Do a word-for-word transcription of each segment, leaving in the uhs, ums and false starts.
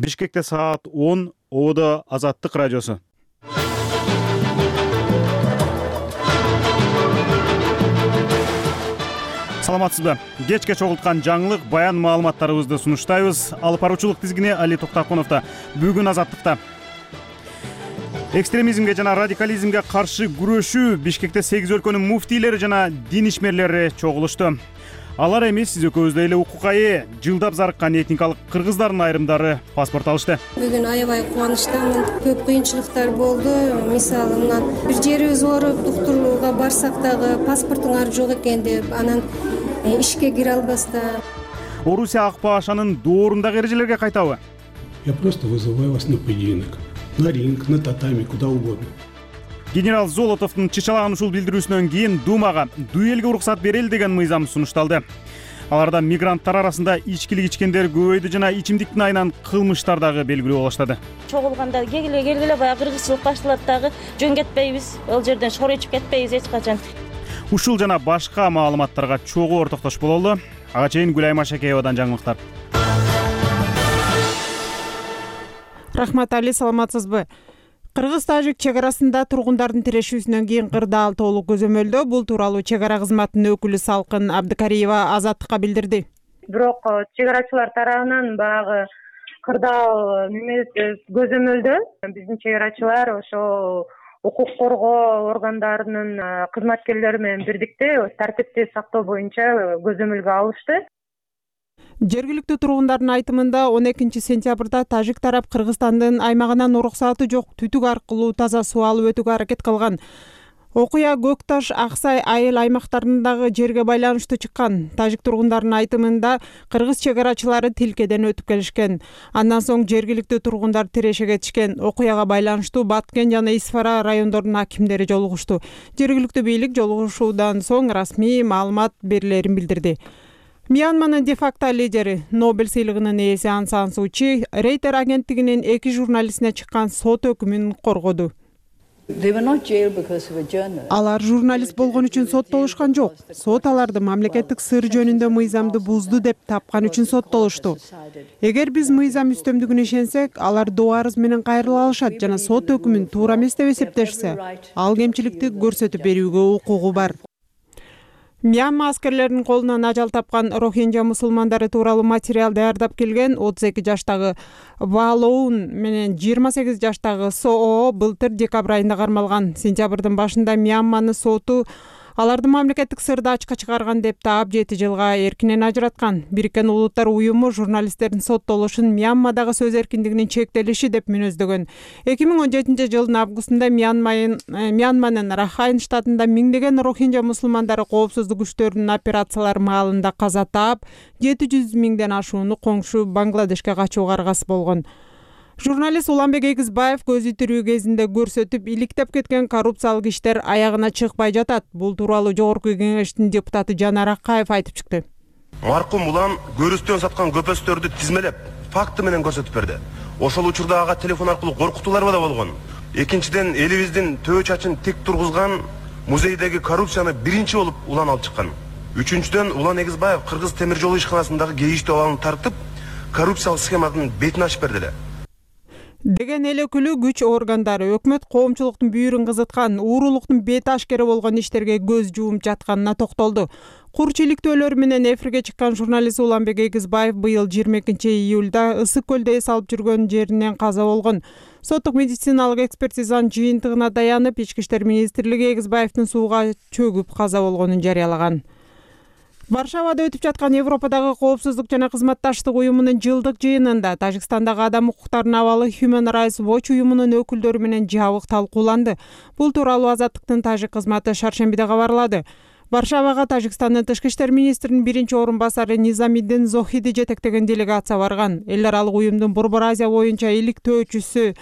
Бишкекте саат он, Ободо Азаттык радиосу. Саламатсызбы? Кечке чогулткан жаңылык, баян маалыматтарыбызды сунуштайбыз. Алып баруучулук тизгини Али Токтаконовдо. Бүгүн Азаттыкта экстремизмге жана радикализмге каршы күрөшүү Бишкекте сегиз өлкөнүн муфтийлери жана дин ишмерлери чогулушту. Алар эми сиз экөөбүздөй эле укукка ээ жылдап зарыккан этникалык кыргыздардын айрымдары паспорт алышты. Бүгүн аябай кубанычтамын. Көп кыйынчылыктар болду. Мисалы, мына бир жерибиз ооруп доктурга барсак дагы паспортуңар жок экен деп, анан ишке кире албастан. Орусия Акпашанын доорунда эрежелерге кайтабы? Я просто вызываю вас на поединок, на ринг, на татами, куда угодно. Генерал Золотовдун чычалаган ушул билдирүүсүнөн кийин Думага дуэлге уруксат берели деген мыйзам сунушталды. Аларда мигранттар арасында ичкилик ичкендер көбөйдү жана ичимдиктин айынан кылмыштар дагы белгилүү боло баштады. Чогулганда келгиле келгиле баягы кыргызчылык башталат дагы, жөн кетпейбиз, ал жерден шор ичип кетпейбиз эч качан. Ушул жана башка маалыматтарга чогуу ортоктош бололу. Ага чейин Гүлайым Ашакеевадан жаңылыктар. Рахмат, Али, саламатсызбы? Кыргыз-тажик чек арасында тургундардын тирешүүсүнөн кийин кырдаал толук көзөмөлдө. Бул тууралуу чек ара кызматынын өкүлү Салкын Абдыкариева Азаттыкка билдирди. Бирок чек арачылар тарабынан баягы кырдаал көзөмөлдө биздин чек арачылар ошо укук коргоо органдарынын кызматкерлери менен бирдикте тартипти сактоо боюнча көзөмөлгө алышты. Жергиликтүү тургундардын айтымында он экинчи сентябрда тажик тарап Кыргызстандын аймагынан уруксаты жок түтүк аркылуу таза суу алып өтүүгө аракет кылган. Окуя Көк Таш, Аксай, Айыл аймактарындагы жерге байланыштуу чыккан. Тажик тургундарынын айтымында кыргыз чек арачылары тилкеден өтүп келишкен. Андан соң жергиликтүү тургундар тиреше кетишкен. Окуяга байланыштуу Баткен жана Исфара райондорунун акимдери жолугушту. Жергиликтүү бийлик жолугушуудан соң расмий маалымат берилерин билдирди. Мьянманын де-факто лидери, Нобель сыйлыгынын ээси Аун Сан Суу Чи Рейтер агенттигинин эки журналистине чыккан сот өкүмүн коргоду. Алар журналист болгон үчүн соттолушкан жок. Сот аларды мамлекеттик сыр жөнүндө мыйзамды бузду деп тапкан үчүн соттолушту. Эгер биз мыйзам үстөмдүгүнө ишенсек, алар доо арыз менен кайрыла алышат жана сот өкүмүн туура эмес деп эсептешсе, ал кемчиликти көрсөтүп берүүгө укугу бар. Мьянма аскерлеринин колунан ажал тапкан Рохинджа мусулмандары тууралуу материал даярдап келген отуз эки жаштагы Валоун менен жыйырма сегиз жаштагы Соо былтыр декабрь айында кармалган. Сентябрдын башында Мьянманын соту аларды мамлекеттик сырды ачка чыгарган деп таап жети жылга эркинен ажыраткан. Бириккен Улуттар уюму журналисттердин соттолушун Мьянмадагы сөз эркиндигинин чектелиши деп мүнөздөгөн. эки миң он жетинчи жылдын августунда Мьянманын Рахайн штатында миңдеген Рохинджа мусулмандары коопсуздук күчтөрүнүн операциялары маалында каза таап, жети жүз миңден ашууну коңшу Бангладешке качууга аргасы болгон. Журналист Уланбек Эгизбаев көзү тирүү кезинде көрсөтүп, иликтеп кеткен коррупциялык иштер аягына чыкпай жатат. Бул тууралуу Жогорку Кеңештин депутаты Жанар Акаев айтып чыкты. Маркум Улан көрүстөн саткан көпөстөрдү тизмелеп, факты менен көрсөтүп берди. Ошол учурда ага телефон аркылуу коркутуулар да болгон. Экинчиден, элибиздин төө чачын тик тургузган музейдеги коррупцияны биринчи болуп Улан алып чыккан. Үчүнчүдөн, Улан Эгизбаев Кыргыз темир жол ишканасындагы кейиштүү абалын тартып, коррупциялык схеманын бетин ачып берди эле. Деген эл өкүлү күч органдары өкмөт коомчулуктун бүйүрүн кызыткан, уурулуктун бети ашкера болгон иштерге көз жуумуп жатканына токтолду. Курч иликтөөлөр менен эфирге чыккан журналист Уланбек Эгизбаев быйыл жыйырма экинчи июлда Ысык көлдө эс алып жүргөн жеринен каза болгон. Соттук медициналык экспертизанын жыйынтыгына таянып, Ички иштер министрлиги Эгизбаевдин сууга чөгүп каза болгонун жарыялаган. Варшавада өтүп жаткан Европадагы коопсуздук жана кызматташтык уюмунун жылдык жыйынында Тажикстандагы адам укуктарынын абалы Human Rights Watch уюмунун өкүлдөрү менен жабык талкууланды. Бул тууралуу Азаттыктын тажик кызматы шаршембиде кабарлады. Варшавага Тажикстандын тышкы иштер министринин биринчи орун басары Низамиддин Зохиди жетектеген делегация барган. Эл аралык уюмдун Борбор Азия боюнча иликтөөчүсү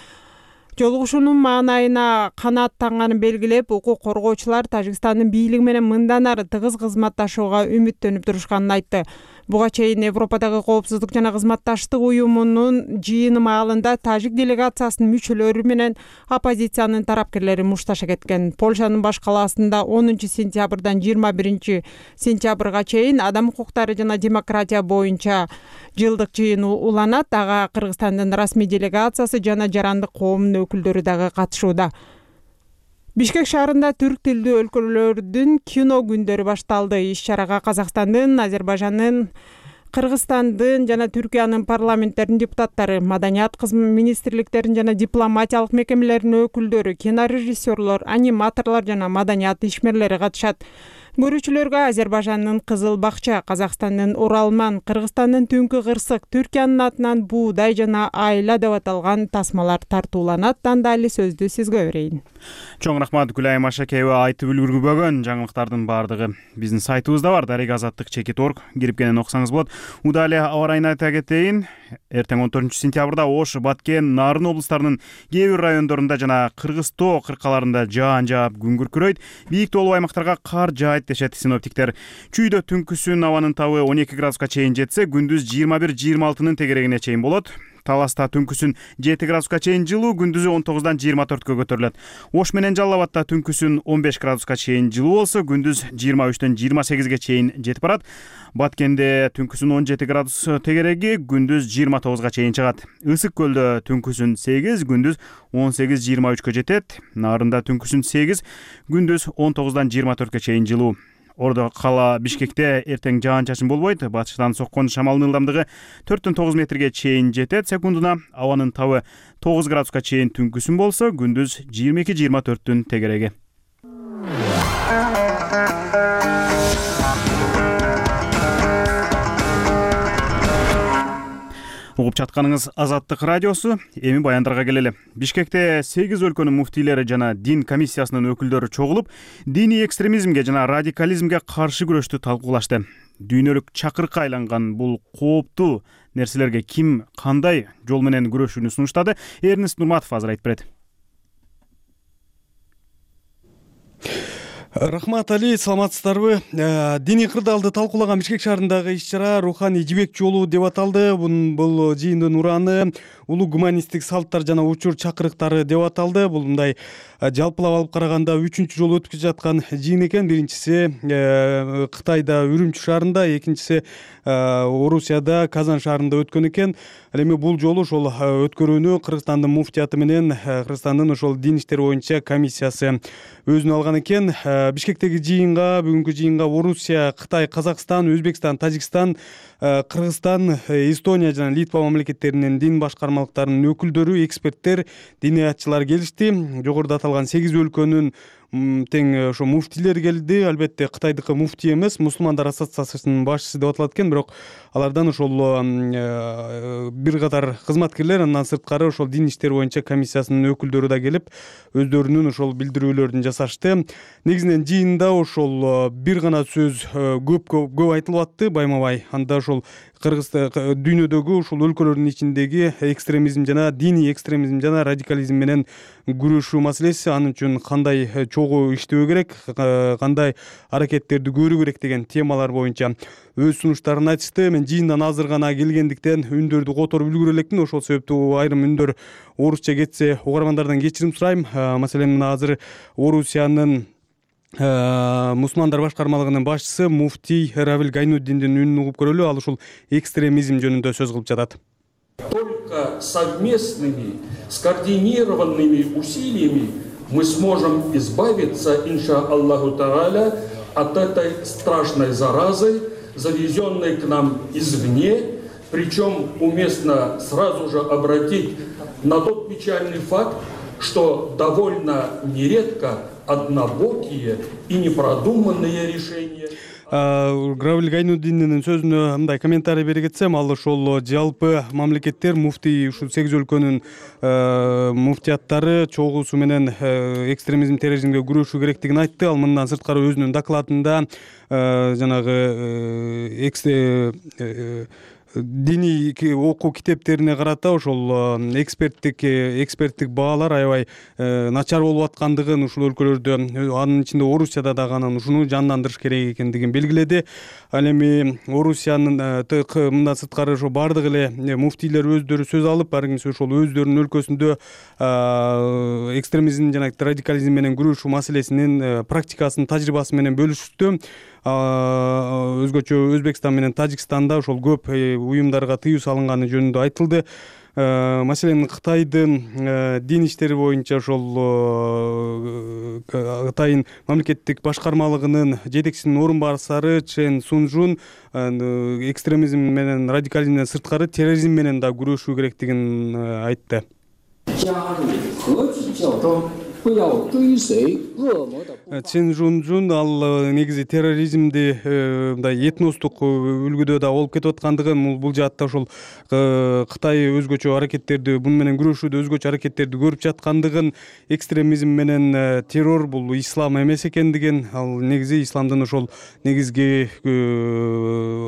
жолугушуунун маанайына канаат таңганын белгилеп, укук коргоочулар Тажикстандын бийлиги менен мындан ары тыгыз кызматташууга үмүттөнүп турушканын айтты. Буга чейин Европадагы коопсуздук жана кызматташтык уюмунун жыйыны маалында тажик делегациясынын мүчөлөрү менен оппозициянын тарапкерлери мушташа кеткен. Польшанын баш калаасында онунчу сентябрдан жыйырма биринчи сентябрга чейин адам укуктары жана демократия боюнча жылдык жыйын уланат. Ага Кыргызстандын расмий делегациясы жана жарандык коомдун өкүлдөрү дагы катышууда. Бишкек шаарында түрк тилдүү өлкөлөрдүн кино күндөрү башталды. Иш-чарага Казакстандын, Азербайжандын, Кыргызстандын жана Түркиянын парламенттеринин депутаттары, маданият министрликтеринин жана дипломатиялык мекемелеринин өкүлдөрү, кинорежиссерлор, аниматорлор жана маданият ишмерлери катышат. Көрүүчүлөргө Азербайжандын Кызыл Бакча, Казакстандын Уралман, Кыргызстандын Түнкү Кырсык, Түркиянын атынан Буудай жана Айла деп аталган тасмалар тартууланат. Андайлы сөздү сизге берейин. Чоң рахмат Гүлайым Ашакеева. Айтып үлгүрбөгөн жаңылыктардын баардыгы биздин сайтыбызда бар. дарега азаттык чекит точка орг кирип кенен окусаңыз болот. Удали аба ырайын айта кетейин. Эртең он төртүнчү сентябрда Ош, Баткен, Нарын облустарынын кээ бир райондорунда жана Кыргыз тоо кыркаларында жаан жаап күн күркүрөйт. Бийик тоолуу аймактарга кар жаайт дешет синоптиктер. Чүйдө түнкүсүн абанын табы он эки градуска чейин жетсе, күндүз жыйырма бир жыйырма алтынын тегерегине чейин болот. Таласта түнкүсүн жети градуска чейин жылуу, күндүзү он тогуздан жыйырма төрткө көтөрүлөт. Ош менен Жалал Абадта түнкүсүн он беш градуска чейин жылуу болсо, күндүз жыйырма үчтөн жыйырма сегизге чейин жетип барат. Баткенде түнкүсүн он жети градус тегереги, күндүз жыйырма тогузга чейин чыгат. Ысык көлдө түнкүсүн сегиз, күндүз он сегиз жыйырма үчкө жетет. Нарында түнкүсүн сегиз, күндүз он тогуздан жыйырма төрткө чейин жылуу. Ордо кала Бишкекте эртең жаан-чачын болбойт. Батыштан соккон шамалдын ылдамдыгы төрттөн тогуз метрге чейин жетет секундуна. Абанын табы тогуз градуска чейин түнкүсүн болсо, күндүз жыйырма эки жыйырма төрттүн тегереги. Угуп жатканыңыз Азаттык радиосу. Эми баяндарга келели. Бишкекте сегиз өлкөнүн муфтийлери жана дин комиссиясынын өкүлдөрү чогулуп, диний экстремизмге жана радикализмге каршы күрөштү талкуулашты. Дүйнөлүк чакырыкка айланган бул кооптуу нерселерге ким кандай жол менен күрөшүүнү сунуштады? Эрнест Нурматов азыр айтып берет. Рахмат Али, саламатсыздарбы? Диний кырдаалды талкуулаган Бишкек шаарындагы иш-чара руханий жибек жолу деп аталды. Бул жыйындын ураны улуу гуманисттик салттар жана учур чакырыктары деп аталды. Бул мындай жалпылап алып караганда үчүнчү жолу өткүзүп жаткан жыйын экен. Биринчиси Кытайда Үрүмчү шаарында, экинчиси Орусияда Казан шаарында өткөн экен. Ал эми бул жолу ошол өткөрүүнү Кыргызстандын муфтияты менен Кыргызстандын ошол дин иштери боюнча комиссиясы өзүнө алган экен. Бишкектеги жыйынга, бүгүнкү жыйынга Орусия, Кытай, Казакстан, Өзбекстан, Тажикстан, Кыргызстан, Эстония жана Литва мамлекеттеринин дин башкармалыктарынын өкүлдөрү, эксперттер, диниятчылар келишти. Жогоруда аталган сегиз өлкөнүн тең ошо муфтийлер келди. Албетте Кытайдыкы муфтий эмес, мусулмандар ассоциациясынын башчысы деп аталат экен, бирок алардан ошол бир катар кызматкерлер, андан сырткары ошол дин иштери боюнча комиссиясынын өкүлдөрү да келип, өздөрүнүн ошол билдирүүлөрүн жасашты. Негизинен жыйында ошол бир гана сөз көп көп айтылып атты, байма-бай. Анда ошол Кыргыз дүйнөдөгү ушул өлкөлөрдүн ичиндеги экстремизм жана диний экстремизм жана радикализм менен күрөшүү маселеси, анын үчүн кандай чогуу иштөө керек, кандай аракеттерди көрүү керек деген темалар боюнча өз сунуштарын айтышты. Мен жыйындан азыр гана келгендиктен үндөрдү которуп үлгүрө элекмин. Ошол себептүү айрым үндөр орусча кетсе угармандардан кечирим сурайм. Маселен, мына азыр Орусиянын мусулмандар башкармалыгынын башчысы муфтий Равиль Гайнуддиндин үнүн угуп көрөлү. Ал ушул экстремизм жөнүндө сөз кылып жатат. Только совместными, скоординированными усилиями мы сможем избавиться, иншаллаху тааля, от этой страшной заразы, завезенной к нам извне. Причем уместно сразу же обратить на тот печальный факт, что довольно нередко однобокие и непродуманные решения. Равиль Гайнуддиндин сөзүнө мындай комментарий бере кетсем, ал ошол жалпы мамлекеттер муфтий ушул сегиз өлкөнүн муфтияттары чогуусу менен экстремизм терроризмге күрөшүү керектигин айтты. Ал мындан сырткары өзүнүн докладында жанагы диний окуу китептерине карата ошол эксперттик эксперттик баалар аябай начар болуп аткандыгын ушул өлкөлөрдө, анын ичинде Орусияда дагы анан ушуну жандандырыш керек экендигин белгиледи. Ал эми Орусиянын мындан сырткары ошо бардык эле муфтийлер өздөрү сөз алып, ар кимиси ошол өздөрүнүн өлкөсүндө экстремизм жана радикализм менен күрөшүү маселесинин практикасын, тажрыйбасы менен бөлүшүштү. Өзгөчө Өзбекстан менен Тажикстанда ошол көп уюмдарга тыюу салынганы жөнүндө айтылды. Маселен, Кытайдын дин иштери боюнча ошол Кытайдын мамлекеттик башкармалыгынын жетекчисинин орун басары Чен Сунжун экстремизм менен радикализмден сырткары терроризм менен да күрөшүү керектигин айтты. Чен Жунжун ал негизи терроризмди мындай этностук үлгүдө да болуп кетип аткандыгын, бул жаатта ошол Кытай өзгөчө аракеттерди, буну менен күрөшүүдө өзгөчө аракеттерди көрүп жаткандыгын, экстремизм менен террор бул ислам эмес экендигин, ал негизи исламдын ошол негизги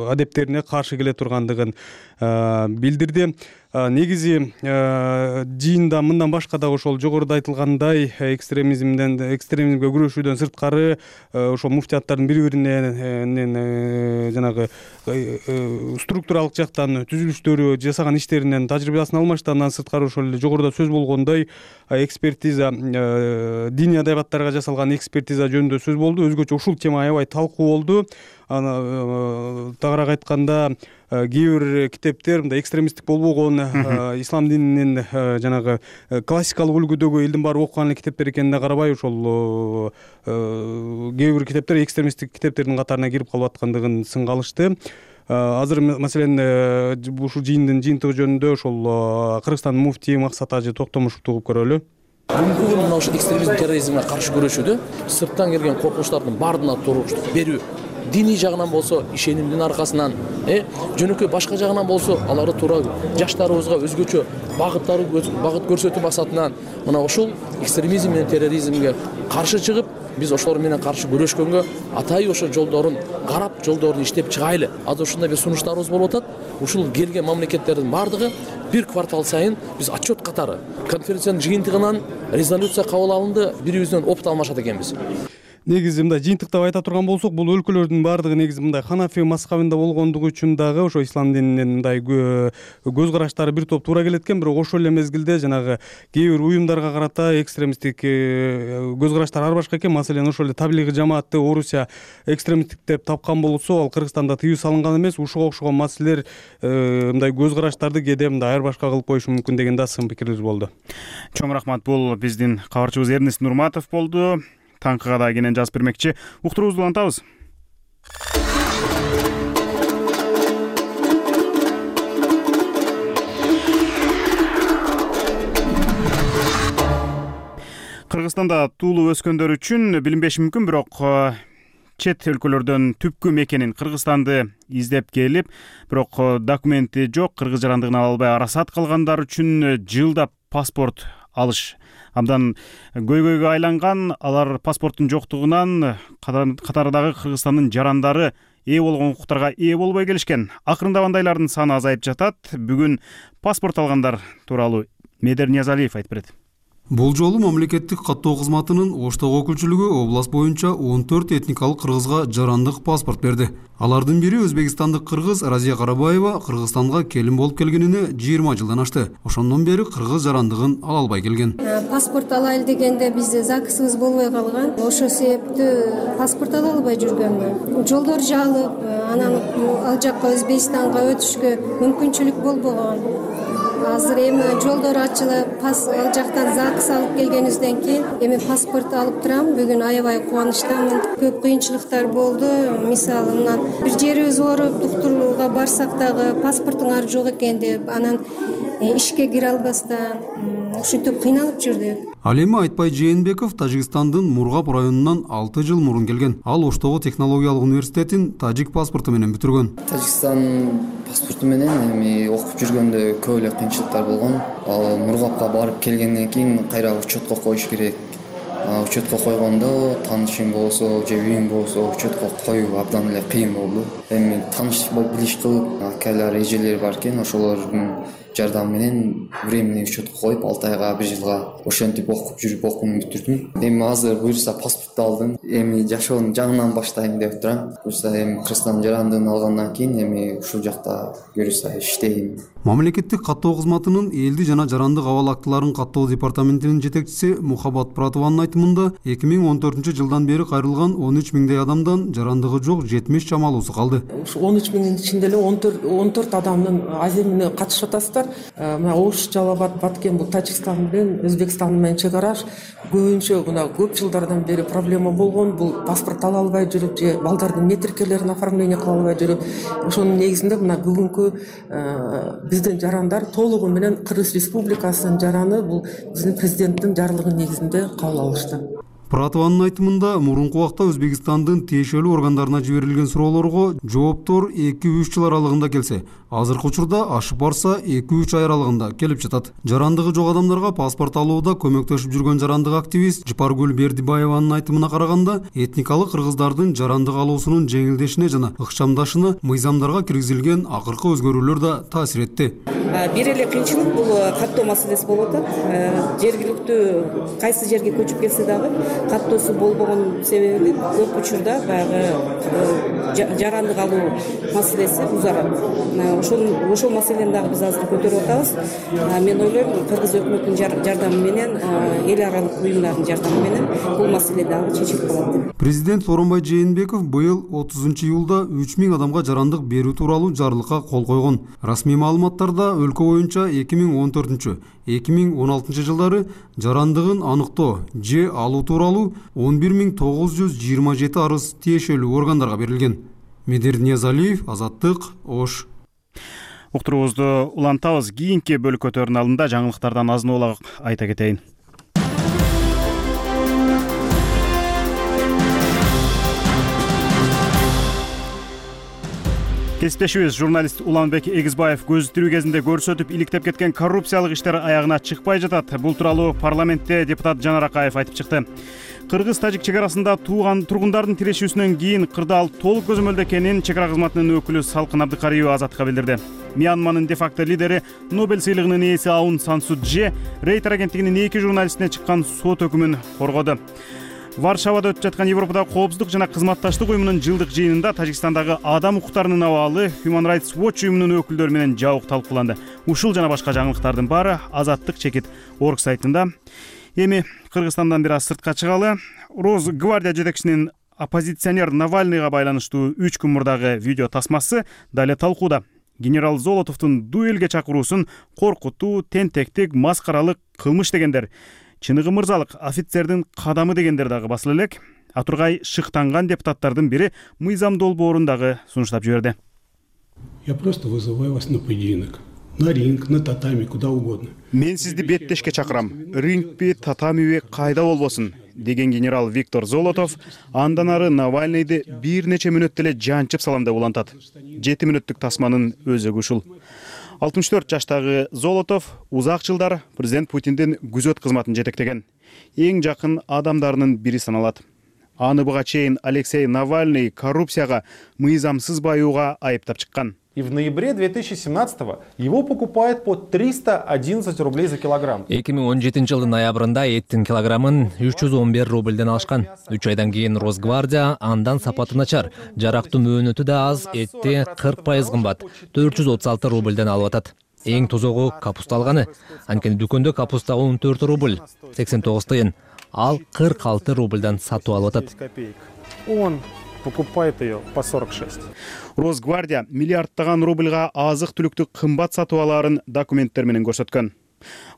адептерине каршы келе тургандыгын билдирди. Негизи жыйында мындан башка да ошол жогоруда айтылгандай экстремизмден экстремизмге күрөшүүдөн сырткары ошол муфтияттардын бири-бирине жанагы структуралык жактан түзүлүштөрү, жасаган иштеринен тажрыйбасын алмашты. Андан сырткары ошол эле жогоруда сөз болгондой экспертиза, диний адабияттарга жасалган экспертиза жөнүндө сөз болду. Өзгөчө ушул тема аябай талкуу болду. Аны тагыраак айтканда, кээ бир китептер мындай экстремисттик болбогон ислам дининин жанагы классикалык үлгүдөгү элдин баары окуган эле китептер экенине карабай, ошол кээ бир китептер экстремисттик китептердин катарына кирип калып аткандыгын сынга алышты. Азыр маселен ушул жыйындын жыйынтыгы жөнүндө ошол Кыргызстандын муфтии Максат Ажы Токтомушевду угуп көрөлү. Бүгүнкү мына ошо экстремизм, терроризмге каршы күрөшүүдө сырттан келген коркунучтардын баарына туруктук берүү, диний жагынан болсо ишенимдин аркасынан, э жөнөкөй башка жагынан болсо аларды туура жаштарыбызга өзгөчө багыттары багыт көрсөтүү максатынан мына ушул экстремизм менен терроризмге каршы чыгып, биз ошолор менен каршы күрөшкөнгө атайын ошо жолдорун карап, жолдорун иштеп чыгайлы. Азыр ушундай бир сунуштарыбыз болуп атат. Ушул келген мамлекеттердин бардыгы бир квартал сайын биз отчет катары конференциянын жыйынтыгынан резолюция кабыл алынды, бирибизден опыт алмашат экенбиз. Негизи мындай жыйынтыктап айта турган болсок, бул өлкөлөрдүн баардыгы негизи мындай ханафи мазхабында болгондугу үчүн дагы ошо ислам дининин мындай көз караштары бир топ туура келет экен. Бирок ошол эле мезгилде жанагы кээ бир уюмдарга карата экстремисттик көз караштар ар башка экен. Маселен, ошол эле таблигый жамаатты Орусия экстремисттик деп тапкан болсо, ал Кыргызстанда тыюу салынган эмес. Ушуга окшогон маселелер мындай көз караштарды кээде мындай ар башка кылып коюшу мүмкүн деген да сын пикирибиз болду. Чоң рахмат. Бул биздин кабарчыбыз Эрнест Нурматов болду. Таңкыга да кенен жазып бермекчи. Уктуруубузду улантабыз. Кыргызстанда туулуп өскөндөр үчүн билинбеши мүмкүн, бирок чет өлкөлөрдөн түпкү мекенин Кыргызстанды издеп келип, бирок документи жок, кыргыз жарандыгын ала албай арасат калгандар үчүн жылдап паспорт алыш абдан көйгөйгө айланган. Алар паспорттун жоктугунан катардагы Кыргызстандын жарандары ээ болгон укуктарга ээ болбой келишкен. Акырындагандайлардын саны азайып жатат. Бүгүн паспорт алгандар тууралуу Медер Ниязалиев айтып берет. Бул жолу мамлекеттик каттоо кызматынын Оштог өкүлчүлүгү область боюнча он төрт этникалык кыргызга жарандык паспорт берди. Алардын бири өзбекстандык кыргыз Разия Карабаева Кыргызстанга келин болуп келгенине жыйырма жылдан ашты. Ошондон бери кыргыз жарандыгын ала албай келген. Паспорт алайлы дегенде бизде ЗАГСыбыз болбой калган. Ошол себептүү паспорт ала албай жүргөнмүн. Жолдор жаалып, анан ал жакка Өзбекстанга өтүшкө мүмкүнчүлүк болбогон. Азыр эми жолдор ачылып, ал жактан ЗАГС алып келгенибизден кийин эми паспорт алып турам. Бүгүн аябай кубанычтамын. Көп кыйынчылыктар болду. Мисалы, мындан бир жерибиз ооруп, доктурга барсак дагы паспортуңар жок экен деп, анан ишке кире албастан ушинтип кыйналып жүрдүк. Ал эми Айтбай Жээнбеков Тажикстандын Мургап районунан алты жыл мурун келген. Ал Оштогу технологиялык университетин тажик паспорту менен бүтүргөн. Тажикстан паспорту менен эми окуп жүргөндө көп эле кыйынчылыктар болгон. Ал Мургапка барып келгенден кийин кайра учетко коюш керек. учетко койгондо таанышың болсо же үйүң болсо учетко коюу абдан эле кыйын болду. Эми тааныш билиш кылып, акалар, эжелер бар экен, ошолордун жардамы менен временный учетко коюп, алты айга, бир жылга ошентип окуп жүрүп окуумду бүтүрдүм. Эми азыр буюрса паспортту алдым. Эми жашоону жаңынан баштайм деп турам. Буюрса эми Кыргызстан жарандыгын алгандан кийин эми ушул жакта буюрса иштейм. Мамлекеттик каттоо кызматынын элди жана жарандык абал актыларын каттоо департаментинин жетекчиси Мухаббат Пуратованын айтымында эки миң он төртүнчү жылдан бери кайрылган он үч миңдей адамдан жарандыгы жок жетимиш чамалуусу калды. Ушу он үч миңдин ичинде эле он төрт адамдын аземине катышып атасыздар. Мына Ош, Жалал-Абад, Баткен бул Тажикстан менен Өзбекстан менен чек араш. Көбүнчө мына көп жылдардан бери проблема болгон. Бул паспорт ала албай жүрүп же балдардын метрикелерин оформление кыла албай жүрүп. Ошонун негизинде мына бүгүнкү биздин жарандар толугу менен Кыргыз Республикасынын жараны бул биздин президенттин жарлыгынын негизинде кабыл алышты. Пуратованын айтымында мурунку убакта Өзбекстандын тиешелүү органдарына жиберилген суроолорго жооптор эки үч жыл аралыгында келсе, азыркы учурда ашып барса эки үч ай аралыгында келип жатат. Жарандыгы жок адамдарга паспорт алууда көмөктөшүп жүргөн жарандык активист Жапаргүл Бердибаеванын айтымына караганда, этникалык кыргыздардын жарандык алуусунун жеңилдешине жана ыкчамдашына мыйзамдарга киргизилген акыркы өзгөрүүлөр да таасир этти. Бир эле кыйынчылык бул каттоо маселеси болуп атат. Жергиликтүү кайсы жерге көчүп келсе дагы каттоосу болбогон себеби көп учурда баягы жарандык алуу маселеси узарат. Ошол ошол маселени дагы биз азыр көтөрүп атабыз. Мен ойлойм, Кыргыз өкмөтүнүн жардамы менен, эл аралык уюмдардын жардамы менен бул маселе дагы чечилип калат деп. Президент Сооронбай Жээнбеков быйыл отузунчу июлда үч миң адамга жарандык берүү тууралуу жарлыкка кол койгон. Расмий маалыматтарда өлкө боюнча эки миң он төртүнчү эки миң он алтынчы жылдары жарандыгын аныктоо же алуу тууралуу он бир миң тогуз жүз жыйырма жети арыз тиешелүү органдарга берилген. Медер Ниязалиев, Азаттык, Ош. Уктуруубузду улантабыз. Кийинки бөлүкөтөрдүн алдында жаңылыктардан азын улак айта кетейин. Кесиптешибиз журналист Уланбек Эгизбаев көзүттүрүү кезинде көрсөтүп иликтеп кеткен коррупциялык иштер аягына чыкпай жатат. Бул тууралуу парламентте депутат Жанар Акаев айтып чыкты. Кыргыз-тажик чек арасында тууган тургундардын тирешүүсүнөн кийин кырдаал толук көзөмөлдө экенин чек ара кызматынын өкүлү Салкын Абдыкариева Азаттыкка билдирди. Мьянманын де-факто лидери Нобель сыйлыгынын ээси Аун Сан Су Чжи Рейтер агенттигинин эки журналистине чыккан сот өкүмүн коргоду. Варшавада өтүп жаткан Европадагы коопсуздук жана кызматташтык уюмунун жылдык жыйынында Тажикстандагы адам укуктарынын абалы Human Rights Watch уюмунун өкүлдөрү менен жабык талкууланды. Ушул жана башка жаңылыктардын баары Азаттык чекит орг сайтында. Эми Кыргызстандан бир аз сыртка чыгалы. Росгвардия жетекчисинин оппозиционер Навальныйга байланыштуу үч күн мурдагы видео тасмасы дале талкууда. Генерал Золотовдун дуэлге чакыруусун коркутуу, тентектик, маскаралык кылмыш дегендер. Чыныгы мырзалык офицердин кадамы дегендер дагы басыла элек. Атургай шыктанган депутаттардын бири мыйзам долбоорун дагы сунуштап жиберди. Я просто вызываю вас на поединок. На ринг, на татами, куда угодно. Мен сизди беттешке чакырам. Рингпи, татамиби кайда болбосун деген генерал Виктор Золотов андан ары Навальныйды бир нече мүнөт эле жанчып салам деп улантат. жети мүнөттүк тасманын өзөгү ушул. алтымыш төрт жаштагы Золотов узак жылдар президент Путиндин күзөт кызматын жетектеген. Эң жакын адамдарынын бири саналат. Аны буга чейин Алексей Навальный коррупцияга, мыйзамсыз баюуга айыптап чыккан. И в ноябре две тысячи семнадцатого его покупают по триста одиннадцать рублей за килограмм. эки миң он жетинчи жылдын ноябрында эттин килограммын үч жүз он бир рубльден алышкан. үч айдан кийин Росгвардия андан сапаты начар, жарактуу мөөнөтү да аз, этти кырк пайыз кымбат, төрт жүз отуз алты рубльден алып атат. Эң тозогу капуста алганы. Анткени дүкөндө капуста он төрт рубль, сексен тогуз тыйын, ал кырк алты рубльдан сатып алып атат. Он покупает ее по сорок шесть. Росгвардия миллиардтаган рубльга азык-түлүктү кымбат сатып алаарын документтер менен көрсөткөн.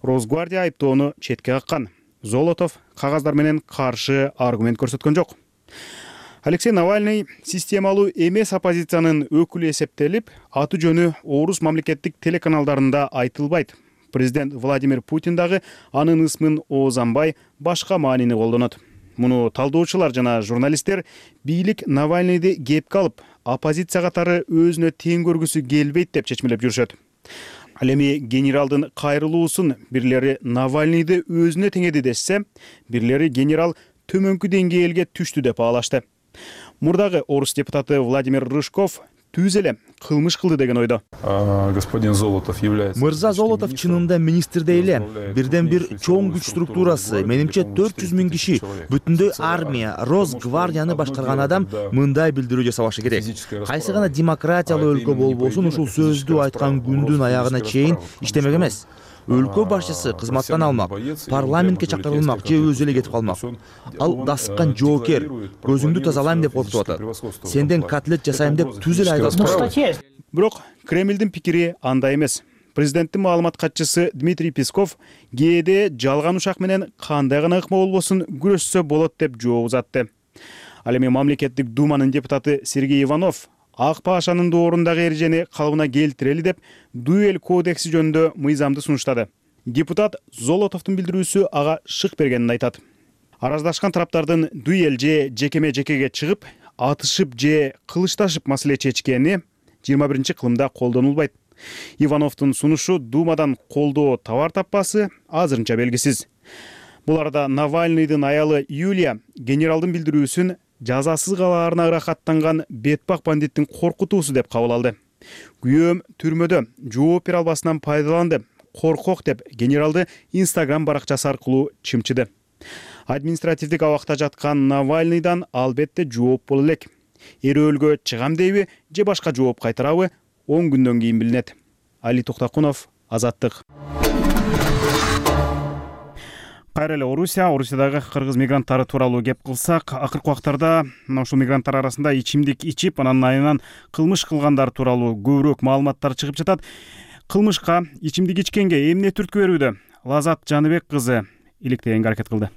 Росгвардия айыптоону четке каккан. Золотов кагаздар менен каршы аргумент көрсөткөн жок. Алексей Навальный системалуу эмес оппозициянын өкүлү эсептелип, аты жөнү орус мамлекеттик телеканалдарында айтылбайт. Президент Владимир Путин дагы анын ысмын оозанбай, башка маанини колдонот. Муну талдоочулар жана журналисттер бийлик Навальныйды кепке алып, оппозиция катары өзүнө тең көргүсү келбейт деп чечмелеп жүрүшөт. Ал эми генералдын кайрылуусун бирлери Навальныйды өзүнө теңеди десе, бирлери генерал төмөнкү деңгээлге түштү деп баалашты. Мурдагы орус депутаты Владимир Рыжков түз эле кылмыш кылды деген ойдо. Господин Золотов является... Мырза Золотов чынында министрдей эле. Бирден бир чоң күч структурасы, менимче төрт жүз миң киши, бүтүндөй армия, Росгвардияны башкарган адам мындай билдирүү жасабашы керек. Кайсы гана демократиялуу өлкө болбосун ушул сөздү айткан күндүн аягына чейин иштемек эмес. Өлкө башчысы кызматтан алмак, парламентке чакырылмак же өзү эле кетип калмак. Ал дасыккан жоокер, көзүңдү тазалайм деп коркутуп атат. Сенден котлет жасайм деп түз эле айдап. Бирок Кремлдин пикири андай эмес. Президенттин маалымат катчысы Дмитрий Песков кээде жалган ушак менен кандай гана ыкма болбосун күрөшсө болот деп жооп узатты. Ал эми мамлекеттик думанын депутаты Сергей Иванов ак пашанын доорундагы эрежени калыбына келтирели деп дуэль кодекси жөнүндө мыйзамды сунуштады. Депутат Золотовдун билдирүүсү ага шык бергенин айтат. Араздашкан тараптардын дуэль же жекеме жекеге чыгып, атышып же кылычташып маселе чечкени жыйырма биринчи кылымда колдонулбайт. Ивановдун сунушу Думадан колдоо табар таппасы азырынча белгисиз. Бул арада Навальныйдын аялы Юлия генералдын билдирүүсүн жазасыз калаарына ырахаттанган бетпак бандиттин коркутуусу деп кабыл алды. Күйөөм түрмөдө жооп бере албасынан пайдаланды, коркок деп генералды Инстаграм баракчасы аркылуу чымчыды. Административдик абакта жаткан Навальныйдан албетте жооп боло элек. Эрөөлгө чыгам дейби же башка жооп кайтарабы он күндөн кийин билинет. Али Токтакунов, Азаттык. Кайра эле Орусия, Орусиядагы кыргыз мигранттары тууралуу кеп кылсак, акыркы убактарда мына ушул мигранттар арасында ичимдик ичип, анан айынан кылмыш кылгандар тууралуу көбүрөөк маалыматтар чыгып жатат. Кылмышка ичимдик ичкенге эмне түрткү берүүдө? Лазат Жаныбек кызы иликтегенге аракет кылды.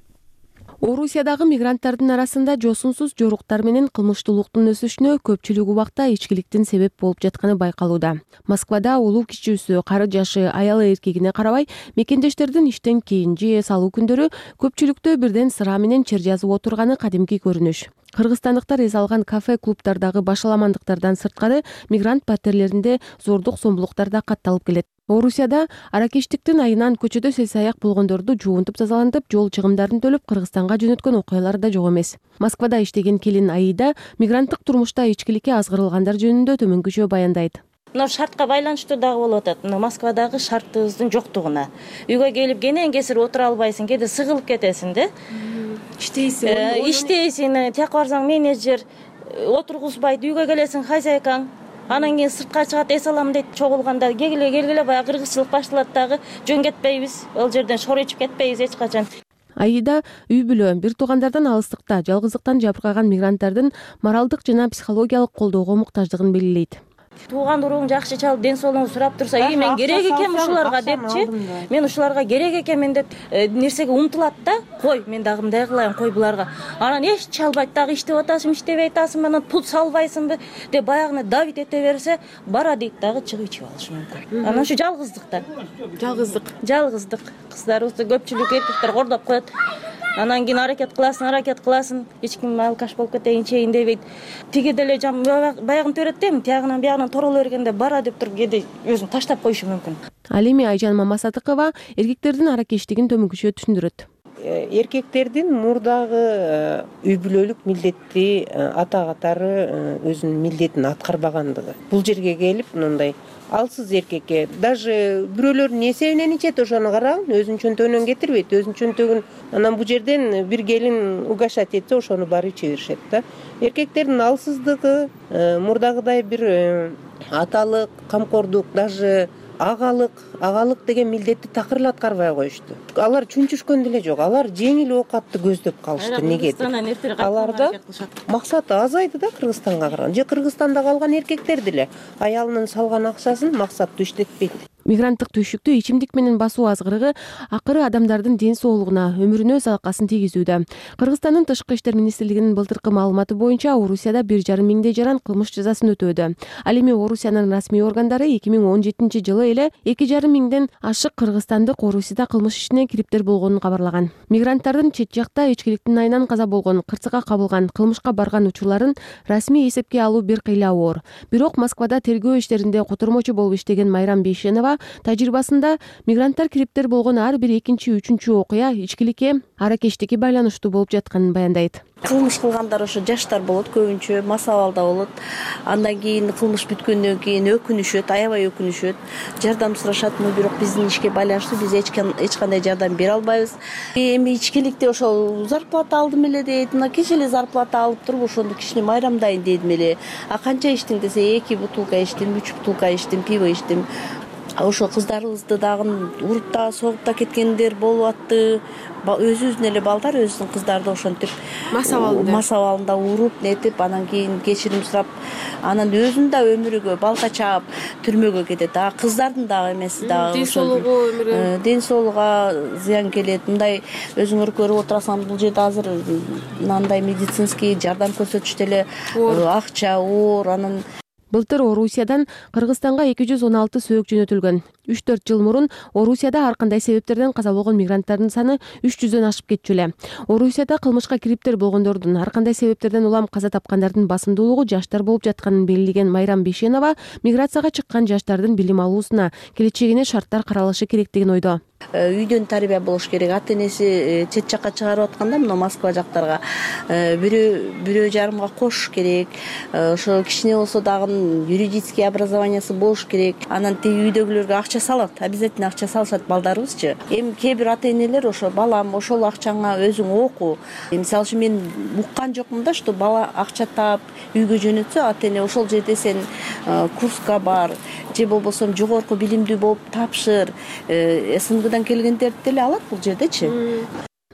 Орусиядагы мигранттардын арасында жосунсуз жоруктар менен кылмыштуулуктун өсүшүнө көпчүлүк убакта ичкиликтин себеп болуп жатканы байкалууда. Москвада улуу кичүүсү, кары жашы, аялы эркегине карабай, мекендештердин иштен кийин же салуу күндөрү көпчүлүктө бирден сыра менен чер жазып отурганы кадимки көрүнүш. Кыргызстандыктар эс алган кафе, клубдардагы башаламандыктардан сырткары мигрант паттерлеринде зордук зомбулуктар да катталып келет. Орусияда аракечтиктин айынан көчөдө сел-саяк болгондорду жуунтуп тазалантып, жол чыгымдарын төлөп Кыргызстанга жөнөткөн окуялар да жок эмес. Москвада иштеген келин Аида мигранттык турмушта ичкиликке азгырылгандар жөнүндө төмөнкүчө баяндайт. Мына шартка байланыштуу дагы болуп атат. Мына Москвадагы шартыбыздын жоктугуна. Үйгө келип кенен кесир отура албайсың, кээде сыгылып кетесиң да. Иштейсиң, иштейсиң, тияка барсаң менеджер отургузбайт, үйгө келесиң хозяйкаң. Анан кийин сыртка чыгат, эс алам дейт, чогулганда келгиле келгиле баягы кыргызчылык башталат дагы, жөн кетпейбиз, ал жерден шор ичип кетпейбиз эч качан. Аида үй бүлө, бир туугандардан алыстыкта, жалгыздыктан жабыркаган мигранттардын моралдык жана психологиялык колдоого муктаждыгын белгилейт. Тууган уруң жакшы чалып, ден соолугун сурап турса, "И мен керек экем ушуларга" депчи. Мен ушуларга керек экенмин деп нерсеге умтулат да, "Кой, мен дагы мындай кылайын, кой буларга". Анан эч чалбайт, дагы иштеп атасың, иштебей атасың, анан пул салбайсыңбы деп баягыны давить эте берсе, бара дейт дагы чыгып ичип алышы мүмкүн. Анан ушу жалгыздыктан. Жалгыздык, жалгыздык. Кыздарыбызды көпчүлүк эркектер кордоп коет. Анан кийин аракет кыласың, аракет кыласың, эч ким алкаш болуп кетейин, чейин дебейт. Тиги деле жам баягын төрөт дейм, тиягынан биягынан тороло бергенде бара деп туруп кээде өзүн таштап коюшу мүмкүн. Ал эми Айжан Мамасатыкова эркектердин аракештигин төмөнкүчө түшүндүрөт. Эркектердин мурдагы үй бүлөлүк милдетти ата катары өзүнүн милдетин аткарбагандыгы. Бул жерге келип мындай алсыз эркекке даже бирөөлөрдүн эсебинен ичет, ошону карагын, өзүнүн чөнтөгүнөн кетирбейт, өзүнүн чөнтөгүн анан бул жерден бир келин угашать этсе, ошону барып иче беришет да. Эркектердин алсыздыгы, мурдагыдай бир аталык, камкордук, даже агалык, агалык деген милдетти такыр аткарбай коюшту. Алар чүнчүшкөн деле жок, алар жеңил оокатты көздөп калышты. Негеdir? Аларда максаты азайды да Кыргызстанга караганда. Же Кыргызстанда калган эркектер деле аялынын салган акчасын максаттуу иштетпейт. Мигранттык түйшүктү ичимдик менен басуу азгырыгы акыры адамдардын ден соолугуна, өмүрүнө залакасын тийгизүүдө. Кыргызстандын Тышкы иштер министрлигинин былтыркы маалыматы боюнча Орусияда бир жарым миңдей жаран кылмыш жазасын өтөөдө. Ал эми Орусиянын расмий органдары эки миң он жетинчи жылы эле эки жарым миңден ашык кыргызстандык Орусияда кылмыш ишине кириптер болгонун кабарлаган. Мигранттардын чет жакта ичкиликтин айынан каза болгон, кырсыкка кабылган, кылмышка барган учурларын расмий эсепке алуу бир кыйла оор. Бирок Москвада тергөө иштеринде котормочу болуп иштеген Майрам Бейшенова ага тажрыйбасында мигранттар кириптер болгон ар бир экинчи үчүнчү окуя ичкиликке аракечтикке байланыштуу болуп жатканын баяндайт. Кылмыш кылгандар ошо жаштар болот, көбүнчө мас абалда болот. Андан кийин кылмыш бүткөндөн кийин өкүнүшөт, аябай өкүнүшөт, жардам сурашат, бирок биздин ишке байланыштуу биз эч кандай жардам бере албайбыз. Эми ичкиликте ошол зарплата алдым эле дейт, мына кече эле зарплата алып туруп ошону кичине майрамдайын дедим эле. А канча иштиң десе, эки бутылка иштим, үч бутылка иштим, пиво иштим. Ошо кыздарыбызды дагы уруп да, согуп да кеткендер болуп атты. Өзүбүздүн эле балдар өзүнүн кыздарды ошентип мас абалында мас абалында уруп нетип, анан кийин кечирим сурап, анан өзүнүн да өмүрүгө балка чаап түрмөгө кетет. А кыздардын дагы эмеси дагы ден соолугу өмүрү ден соолугуга зыян келет. Мындай өзүңөр көрүп отурасыңар, бул жерде азыр мындай медицинский жардам көрсөтүштө эле акча, оор, анан Былтыр Орусиядан Кыргызстанга эки жүз он алты сөөк жөнөтүлгөн. үч төрт жыл мурун Орусияда ар кандай себептерден каза болгон мигранттардын саны үч жүздөн ашып кетчү эле. Орусияда кылмышка кириптер болгондордун ар кандай себептерден улам каза тапкандардын басымдуулугу жаштар болуп жатканын белгилеген Майрам Бейшенова миграцияга чыккан жаштардын билим алуусуна, келечегине шарттар каралышы керектигин ойдо. Үйдөн тарбия болуш керек. Ата энеси чет жакка чыгарып атканда, мына Москва жактарга бирөө бирөө жарымга кош керек. Ошо кичине болсо дагы юридический образованиясы болуш керек. Анан тиги үйдөгүлөргө акча салат, обязательно акча салышат балдарыбызчы. Эми кээ бир ата энелер ошо балам ошол акчаңа өзүң оку. Мисалы үчүн мен уккан жокмун да, что бала акча таап үйгө жөнөтсө, ата эне ошол жерде сен курска бар, же болбосо жогорку билимдүү болуп тапшыр, СНГдан келгендерди деле алат бул жердечи.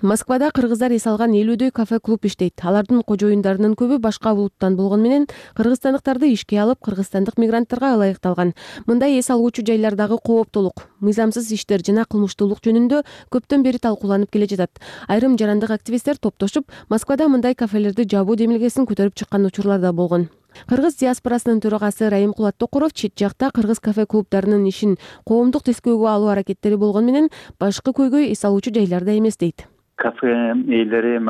Москвада кыргыздар эс алган элүүдөй кафе-клуб иштейт. Алардын кожоюндарынын көбү башка улуттан болгону менен кыргызстандыктарды ишке алып, кыргызстандык мигранттарга ылайыкталган. Мындай эс алуучу жайлардагы кооптулук, мыйзамсыз иштер жана кылмыштуулук жөнүндө көптөн бери талкууланып келе жатат. Айрым жарандык активисттер топтошуп, Москвада мындай кафелерди жабуу демилгесин көтөрүп чыккан учурлар да болгон. Кыргыз диаспорасынын төрагасы Раимкулат Токуров чет жакта кыргыз кафе-клубдарынын ишин коомдук тескөөгө алуу аракеттери болгону менен башкы көйгөй эс алуучу жайларда эмес дейт. Кафе ээлери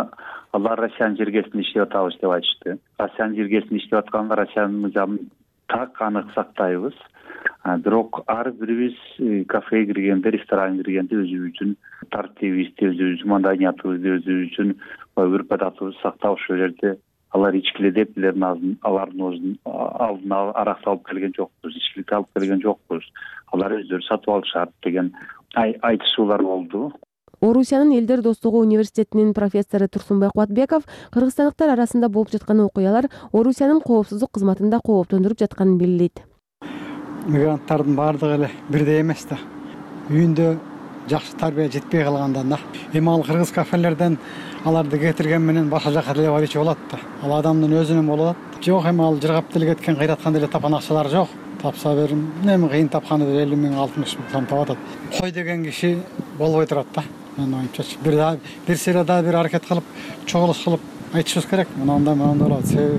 алар Россиянын жергесинде иштеп атабыз деп айтышты. Россиянын жергесинде иштеп атканда Россиянын мыйзамын так анык сактайбыз. Бирок ар бирибиз кафеге киргенде, ресторанга киргенде өзүбүз үчүн тартибибизди, өзүбүздүн маданиятыбызды, өзүбүз үчүн үрп-адатыбызды сактап ошол жерде алар ичкиле деп алардын өзүнүн алдына арак салып келген жокпуз, ичкиликти алып келген жокпуз. Алар өздөрү сатып алышат деген айтышуулар болду. Орусиянын Элдер достугу университетинин профессору Турсунбай Кубатбеков кыргызстандыктар арасында болуп жаткан окуялар Орусиянын коопсуздук кызматында кооптондуруп жатканын белгилейт. Мигранттардын баардыгы эле бирдей эмес да. Үйүндө жакшы тарбия жетпей калгандан да. Эми ал кыргыз кафелерден аларды кетирген менен башка жака деле барчу болот да. Ал адамдын өзүнүн болот. Жок, эми ал жыргап деле кеткен, кыйраткан деле тапан акчалар жок. Тапса берим, эми кыйын тапканы деп элүү миң, алтымыш миң сом таап атат. Кой деген киши болбой турат да. Мен оюмчачы бир да бир сыйрада бир аракет кылып, чогулуш кылып айтышыбыз керек. Мынандай мынандай болот. Себеби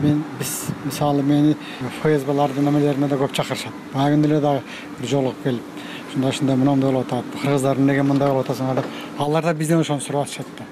мен биз мисалы мени ФСБлардын немелерине да көп чакырышат. Баа күндө эле дагы бир жолугуп келип, ушундай ушундай мындай болуп атат. Кыргыздар эмнеге мындай болуп атасыңар деп, алар да бизден ошону сурап атышат да.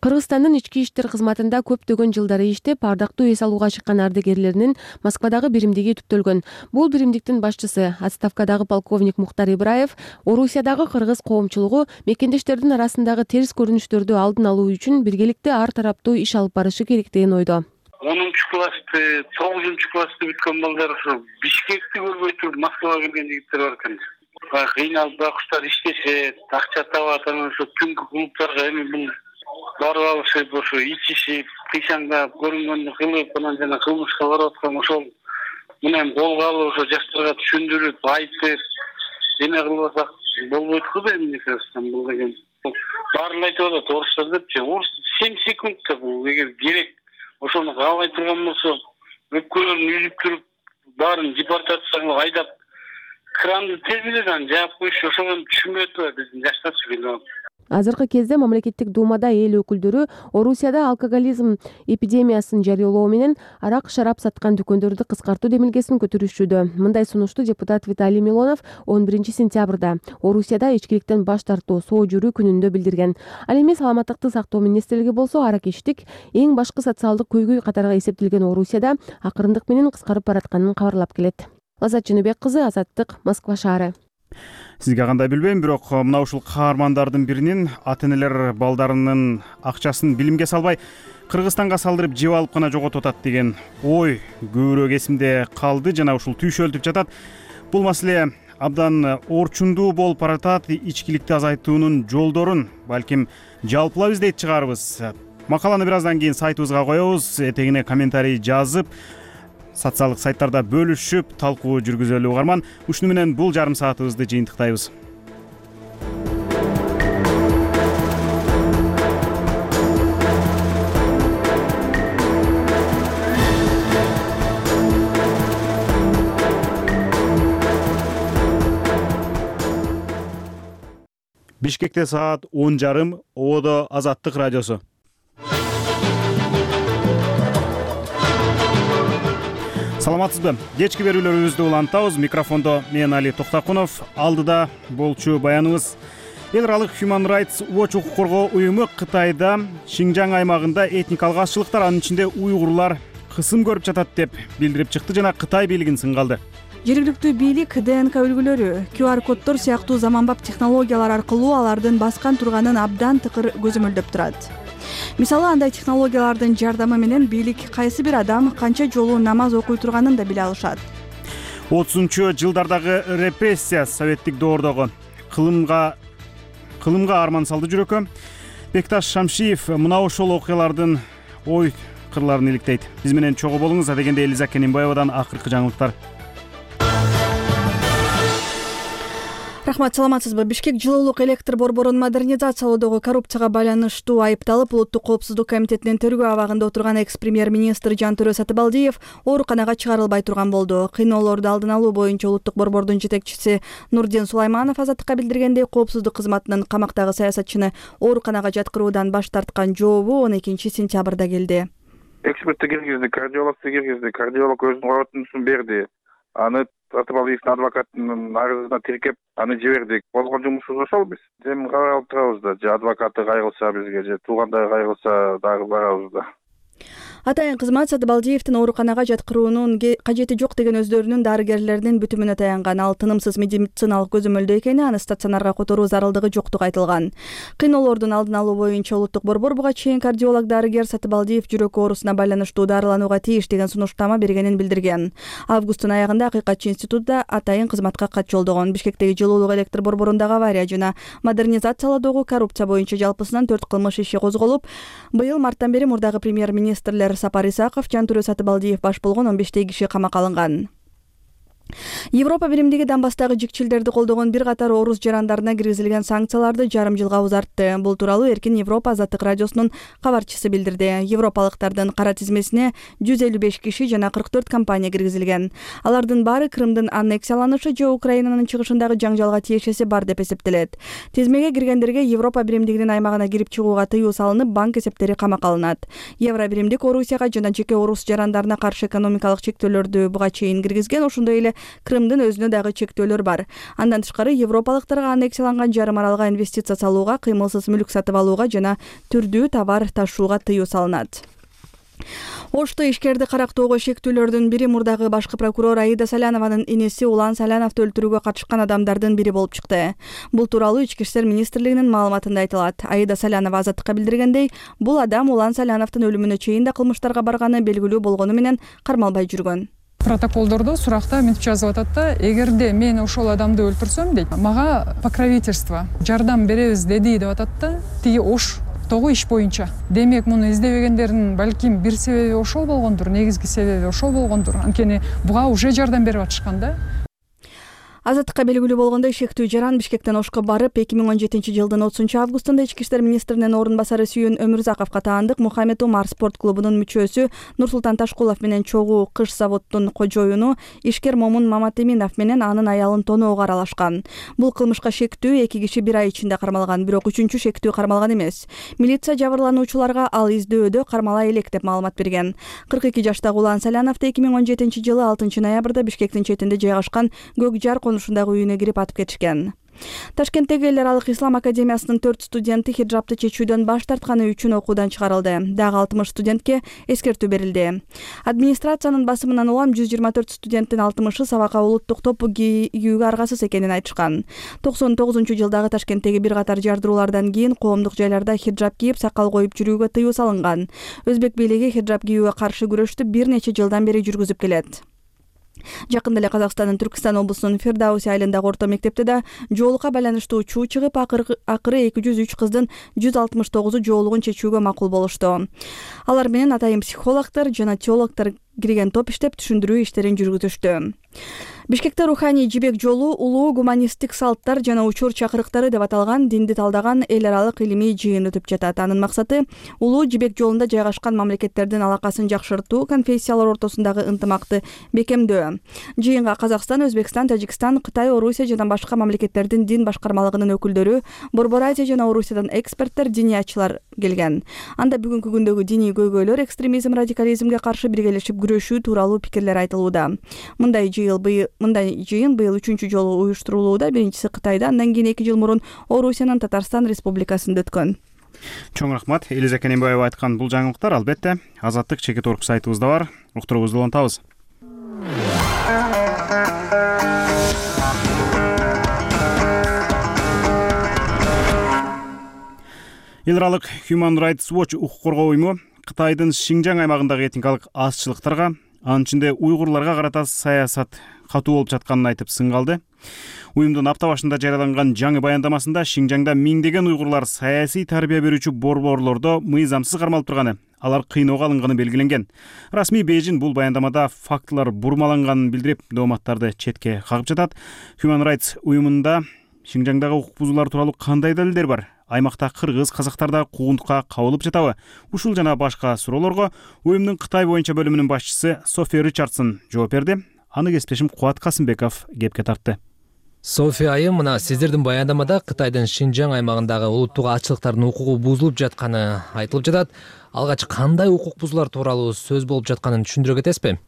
Кыргызстандын ички иштер кызматында көптөгөн жылдары иштеп, ардактуу эс алууга чыккан ардагерлеринин Москвадагы биримдиги түптөлгөн. Бул биримдиктин башчысы, отставкадагы полковник Мухтар Ибраев, Орусиядагы кыргыз коомчулугу мекендештердин арасындагы терс көрүнүштөрдү алдын алуу үчүн биргеликте ар тараптуу иш алып барышы керектигин ойдо. онунчу классты, тогузунчу классты бүткөн балдар ошо Бишкекти көрбөй туруп Москвага келген жигиттер бар экен. Кыйналып байкуштар иштешет, акча табат, анан ошо түнкү клубтарга эми бул барып алышып, ошо ичишип, кыйшаңдап, көрүнгөндү кылып, анан жана кылмышка барып аткан ошол менен колго алып, ошо жаштарга түшүндүрүп, айтып, эме кылып атсак болбойт го да эмне кылсам бул деген. Баарын айтып атат орустар депчи, орус семь секунд деп, бул эгер керек ошону каалай турган болсо, өпкөлөрүн үзүп туруп, баарын депортацияга айдап, кранды тез эле жаап коюшу, ошого түшүнбөй атпайбы биздин жаштарчы билип. Азыркы кезде мамлекеттик думада эл өкүлдөрү Орусияда алкоголизм эпидемиясын жарыялоо менен арак шарап саткан дүкөндөрдү кыскартуу демилгесин көтөрүшүүдө. Мындай сунушту депутат Виталий Милонов он биринчи сентябрда Орусияда ичкиликтен баш тартуу соо жүрүү күнүндө билдирген. Ал эми саламаттыкты сактоо министрлиги болсо аракечтик эң башкы социалдык көйгөй катарга эсептелген Орусияда акырындык менен кыскарып баратканын кабарлап келет. Азат Жөнөбек кызы, Азаттык, Москва шаары. Сизге кандай билбейм, бирок мына ушул каармандардын биринин ата-энелер балдарынын акчасын билимге салбай Кыргызстанга салдырып жеп алып гана жоготуп атат деген ой көбүрөөк эсимде калды жана ушул түйшөлтүп жатат. Бул маселе абдан орчундуу болуп баратат. Ичкиликти азайтуунун жолдорун балким жалпылап издейт чыгарбыз. Макаланы бир аздан кийин сайтыбызга коебуз. Этегине комментарий жазып, социалдык сайттарда бөлүшүп, талкуу жүргүзөлү угарман. Ушуну менен бул жарым саатыбызды жыйынтыктайбыз. Бишкекте саат он жарым, Ободо Азаттык радиосу. Саламатсызбы? Кечки берүүлөрүбүздү улантабыз. Микрофондо мен Али Токтакунов. Алдыда болчу баяныбыз. Эл аралык Human Rights Watch укук коргоо уюму Кытайда Шинжаң аймагында этникалык азчылыктар, анын ичинде уйгурлар кысым көрүп жатат деп билдирип чыкты жана Кытай бийлигин сынга алды. Жергиликтүү бийлик ДНК үлгүлөрү, ку ар коддор сыяктуу заманбап технологиялар аркылуу алардын баскан турганын абдан тыкыр көзөмөлдөп турат. Мисалы, андай технологиялардын жардамы менен бийлик кайсы бир адам канча жолу намаз окуй турганын да биле алышат. отузунчу жылдардагы репрессия советтик доордогу кылымга кылымга арман салды жүрөккө. Бекташ Шамшиев мына ошол окуялардын ой кырларын иликтейт. Биз менен чогуу болуңуз. Адегенде Элиза Кенимбаевадан акыркы жаңылыктар. Рахмат, саламатсызбы? Бишкек жылуулук электр борборун модернизациялоодогу коррупцияга байланыштуу айыпталып, Улуттук коопсуздук комитетинин тергөө абагында отурган экс-премьер-министр Жантөрө Сатыбалдиев ооруканага чыгарылбай турган болду. Кыйноолорду алдын алуу боюнча Улуттук борбордун жетекчиси Нурдин Сулайманов Азаттыкка билдиргендей, коопсуздук кызматынын камактагы саясатчыны ооруканага жаткыруудан баш тарткан жообу он экинчи сентябрда келди. Экспертти киргизди, кардиологду киргизди, кардиолог өзүнүн коротундусун берди. Аны Сатыбалдиевдин адвокатынын арызына тиркеп, аны жибердик. Болгон жумушубуз ошол биз. Эми карап турабыз да, же адвокаты кайгылса бизге, же туугандары кайгылса дагы барабыз да. Атайын кызмат Сатыбалдиевдин ооруканага жаткыруунун кажети жок деген өздөрүнүн дарыгерлеринин бүтүмүнө таянган. Ал тынымсыз медициналык көзөмөлдөө экени, аны стационарга которуу зарылдыгы жоктугу айтылган. Кыйноолордун алдын алуу боюнча Улуттук борбор буга чейин кардиолог дарыгер Сатыбалдиев жүрөк оорусуна байланыштуу дарыланууга тийиш деген сунуштама бергенин билдирген. Августтун аягында Акыйкатчы институту атайын кызматка кат жолдогон. Бишкектеги жылуулук электр борборундагы авария жана модернизациялоодогу коррупция боюнча жалпысынан төрт кылмыш иши козголуп, быйыл марттан бери мурдагы премьер-министрлер Сапар Исаков, Жантөрө Сатыбалдиев баш болгон он бештей киши камакка алынган. Европа биримдиги Донбасстагы жикчилдерди колдогон бир катар орус жарандарына киргизилген санкцияларды жарым жылга узартты. Бул тууралуу Эркин Европа Азаттык радиосунун кабарчысы билдирди. Европалыктардын кара тизмесине жүз элүү беш киши жана кырк төрт компания киргизилген. Алардын баары Крымдын аннексияланышы же Украинанын чыгышындагы жаңжалга тиешеси бар деп эсептелет. Тизмеге киргендерге Европа биримдигинин аймагына кирип чыгууга тыюу салынып, банк эсептери камакка алынат. Евро биримдик Орусияга жана жеке орус жарандарына каршы экономикалык чектөөлөрдү буга чейин киргизген, ошондой эле Крымдын өзүнө дагы чектөөлөр бар. Андан тышкары европалыктарга аннексияланган жарым аралга инвестиция салууга, кыймылсыз мүлк сатып алууга жана түрдүү товар ташууга тыюу салынат. Ошто ишкерди карактоого шектүүлөрдүн бири мурдагы башкы прокурор Аида Салянованын инеси Улан Саляновду өлтүрүүгө катышкан адамдардын бири болуп чыкты. Бул тууралуу Ички иштер министрлигинин маалыматында айтылат. Аида Салянова Азаттыкка билдиргендей, бул адам Улан Саляновдун өлүмүнө чейин да кылмыштарга барганы белгилүү болгону менен кармалбай жүргөн. Протоколдордо суракта мынтип жазып атат да, эгерде мен ошол адамды өлтүрсөм дейт, мага покровительство, жардам беребиз деди деп атат да, тиги Ош тогу иш боюнча. Демек, муну издебегендердин балким бир себеби ошол болгондур, негизги себеби ошол болгондур. Анткени буга уже жардам берип атышкан да. Азаттыкка белгилүү болгондой, шектүү жаран Бишкектен Ошко барып, эки миң он жетинчи жылдын отузунчу августунда Ички иштер министринин орун басары Сүйөн Өмүрзаковго таандык Мухаммед Умар спорт клубунун мүчөсү Нурсултан Ташкулов менен чогуу кыш заводдун кожоюну Ишкер Момун Маматеминов менен анын аялын тоноого аралашкан. Бул кылмышка шектүү эки киши бир ай ичинде кармалган, бирок үчүнчү шектүү кармалган эмес. Милиция жабырлануучуларга ал издөдө кармала элек деп маалымат берген. кырк эки жаштагы Улан Саляновду эки миң он жетинчи жылы алтынчы ноябрда Бишкектин четинде жайгашкан Көк Жар ушундагы үйүнө кирип атып кетишкен. Ташкенттеги эл аралык ислам академиясынын төрт студенти хиджабты чечүүдөн баш тартканы үчүн окуудан чыгарылды. Дагы алтымыш студентке эскертүү берилди. Администрациянын басымынан улам жүз жыйырма төрт студенттин алтымышы сабакка улуттук топу кийүүгө аргасыз экенин айтышкан. токсон тогузунчу жылдагы Ташкенттеги бир катар жардыруулардан кийин коомдук жайларда хиджаб кийип, сакал коюп жүрүүгө тыюу салынган. Өзбек бийлиги хиджаб кийүүгө каршы күрөштү бир нече жылдан бери жүргүзүп келет. Жакында эле Казакстандын Түркистан облусунун Фирдауси айылындагы орто мектепте да жоолукка байланыштуу чуу чыгып, акыры эки жүз үч кыздын жүз алтымыш тогузу жоолугун чечүүгө макул болушту. Алар менен атайын психологдор жана теологдор кирген топ иштеп, түшүндүрүү иштерин жүргүзүштү. Бишкекте руханий жибек жолу улуу гуманисттик салттар жана учур чакырыктары деп аталган динди талдаган эл аралык илимий жыйын өтүп жатат. Анын максаты улуу жибек жолунда жайгашкан мамлекеттердин алакасын жакшыртуу, конфессиялар ортосундагы ынтымакты бекемдөө. Жыйынга Казакстан, Өзбекстан, Тажикстан, Кытай, Орусия жана башка мамлекеттердин дин башкармалыгынын өкүлдөрү, Борбор Азия жана Орусиядан эксперттер, диниятчылар келген. Анда бүгүнкү күндөгү диний көйгөйлөр, экстремизм, радикализмге каршы биргелешип күрөшүү тууралуу пикирлер айтылууда. Мындай жыйыл быйыл Мындай жыйын быйыл үчүнчү жолу уюштурулууда. Биринчиси Кытайда, андан кийин эки жыл мурун Орусиянын Татарстан Республикасында өткөн. Чоң рахмат. Элиза Кененбаева айткан бул жаңылыктар албетте Азаттык чекит орг сайтыбызда бар. Уктуруңузду улантабыз. Эл аралык Human Rights Watch укук коргоо уюму Кытайдын Шинжаң аймагындагы этникалык азчылыктарга, анын ичинде уйгурларга карата саясат катуу болуп жатканын айтып сынгалды. Уюмдун апта башында жарыяланган жаңы баяндамасында Шинжаңда миңдеген уйгурлар саясий тарбия берүүчү борборлордо мыйзамсыз кармалып турганы, алар кыйноого алынганы белгиленген. Расмий Бейжин бул баяндамада фактылар бурмаланганын билдирип, дооматтарды четке кагып жатат. Human Rights уюмунда Шинжаңдагы укук бузуулар тууралуу кандай далилдер бар? Аймакта кыргыз, казактарда куугунтукка кабылып жатабы? Ушул жана башка суроолорго уюмдун Кытай боюнча бөлүмүнүн башчысы София Ричардсон жооп берди. Аны кесиптешим Кубат Касымбеков кепке тартты. София айым, мына сиздердин баяндамада Кытайдын Шинжаң аймагындагы улуттук азчылыктардын укугу бузулуп жатканы айтылып жатат. Алгач кандай укук бузуулар тууралуу сөз болуп жатканын түшүндүрө кетесизби?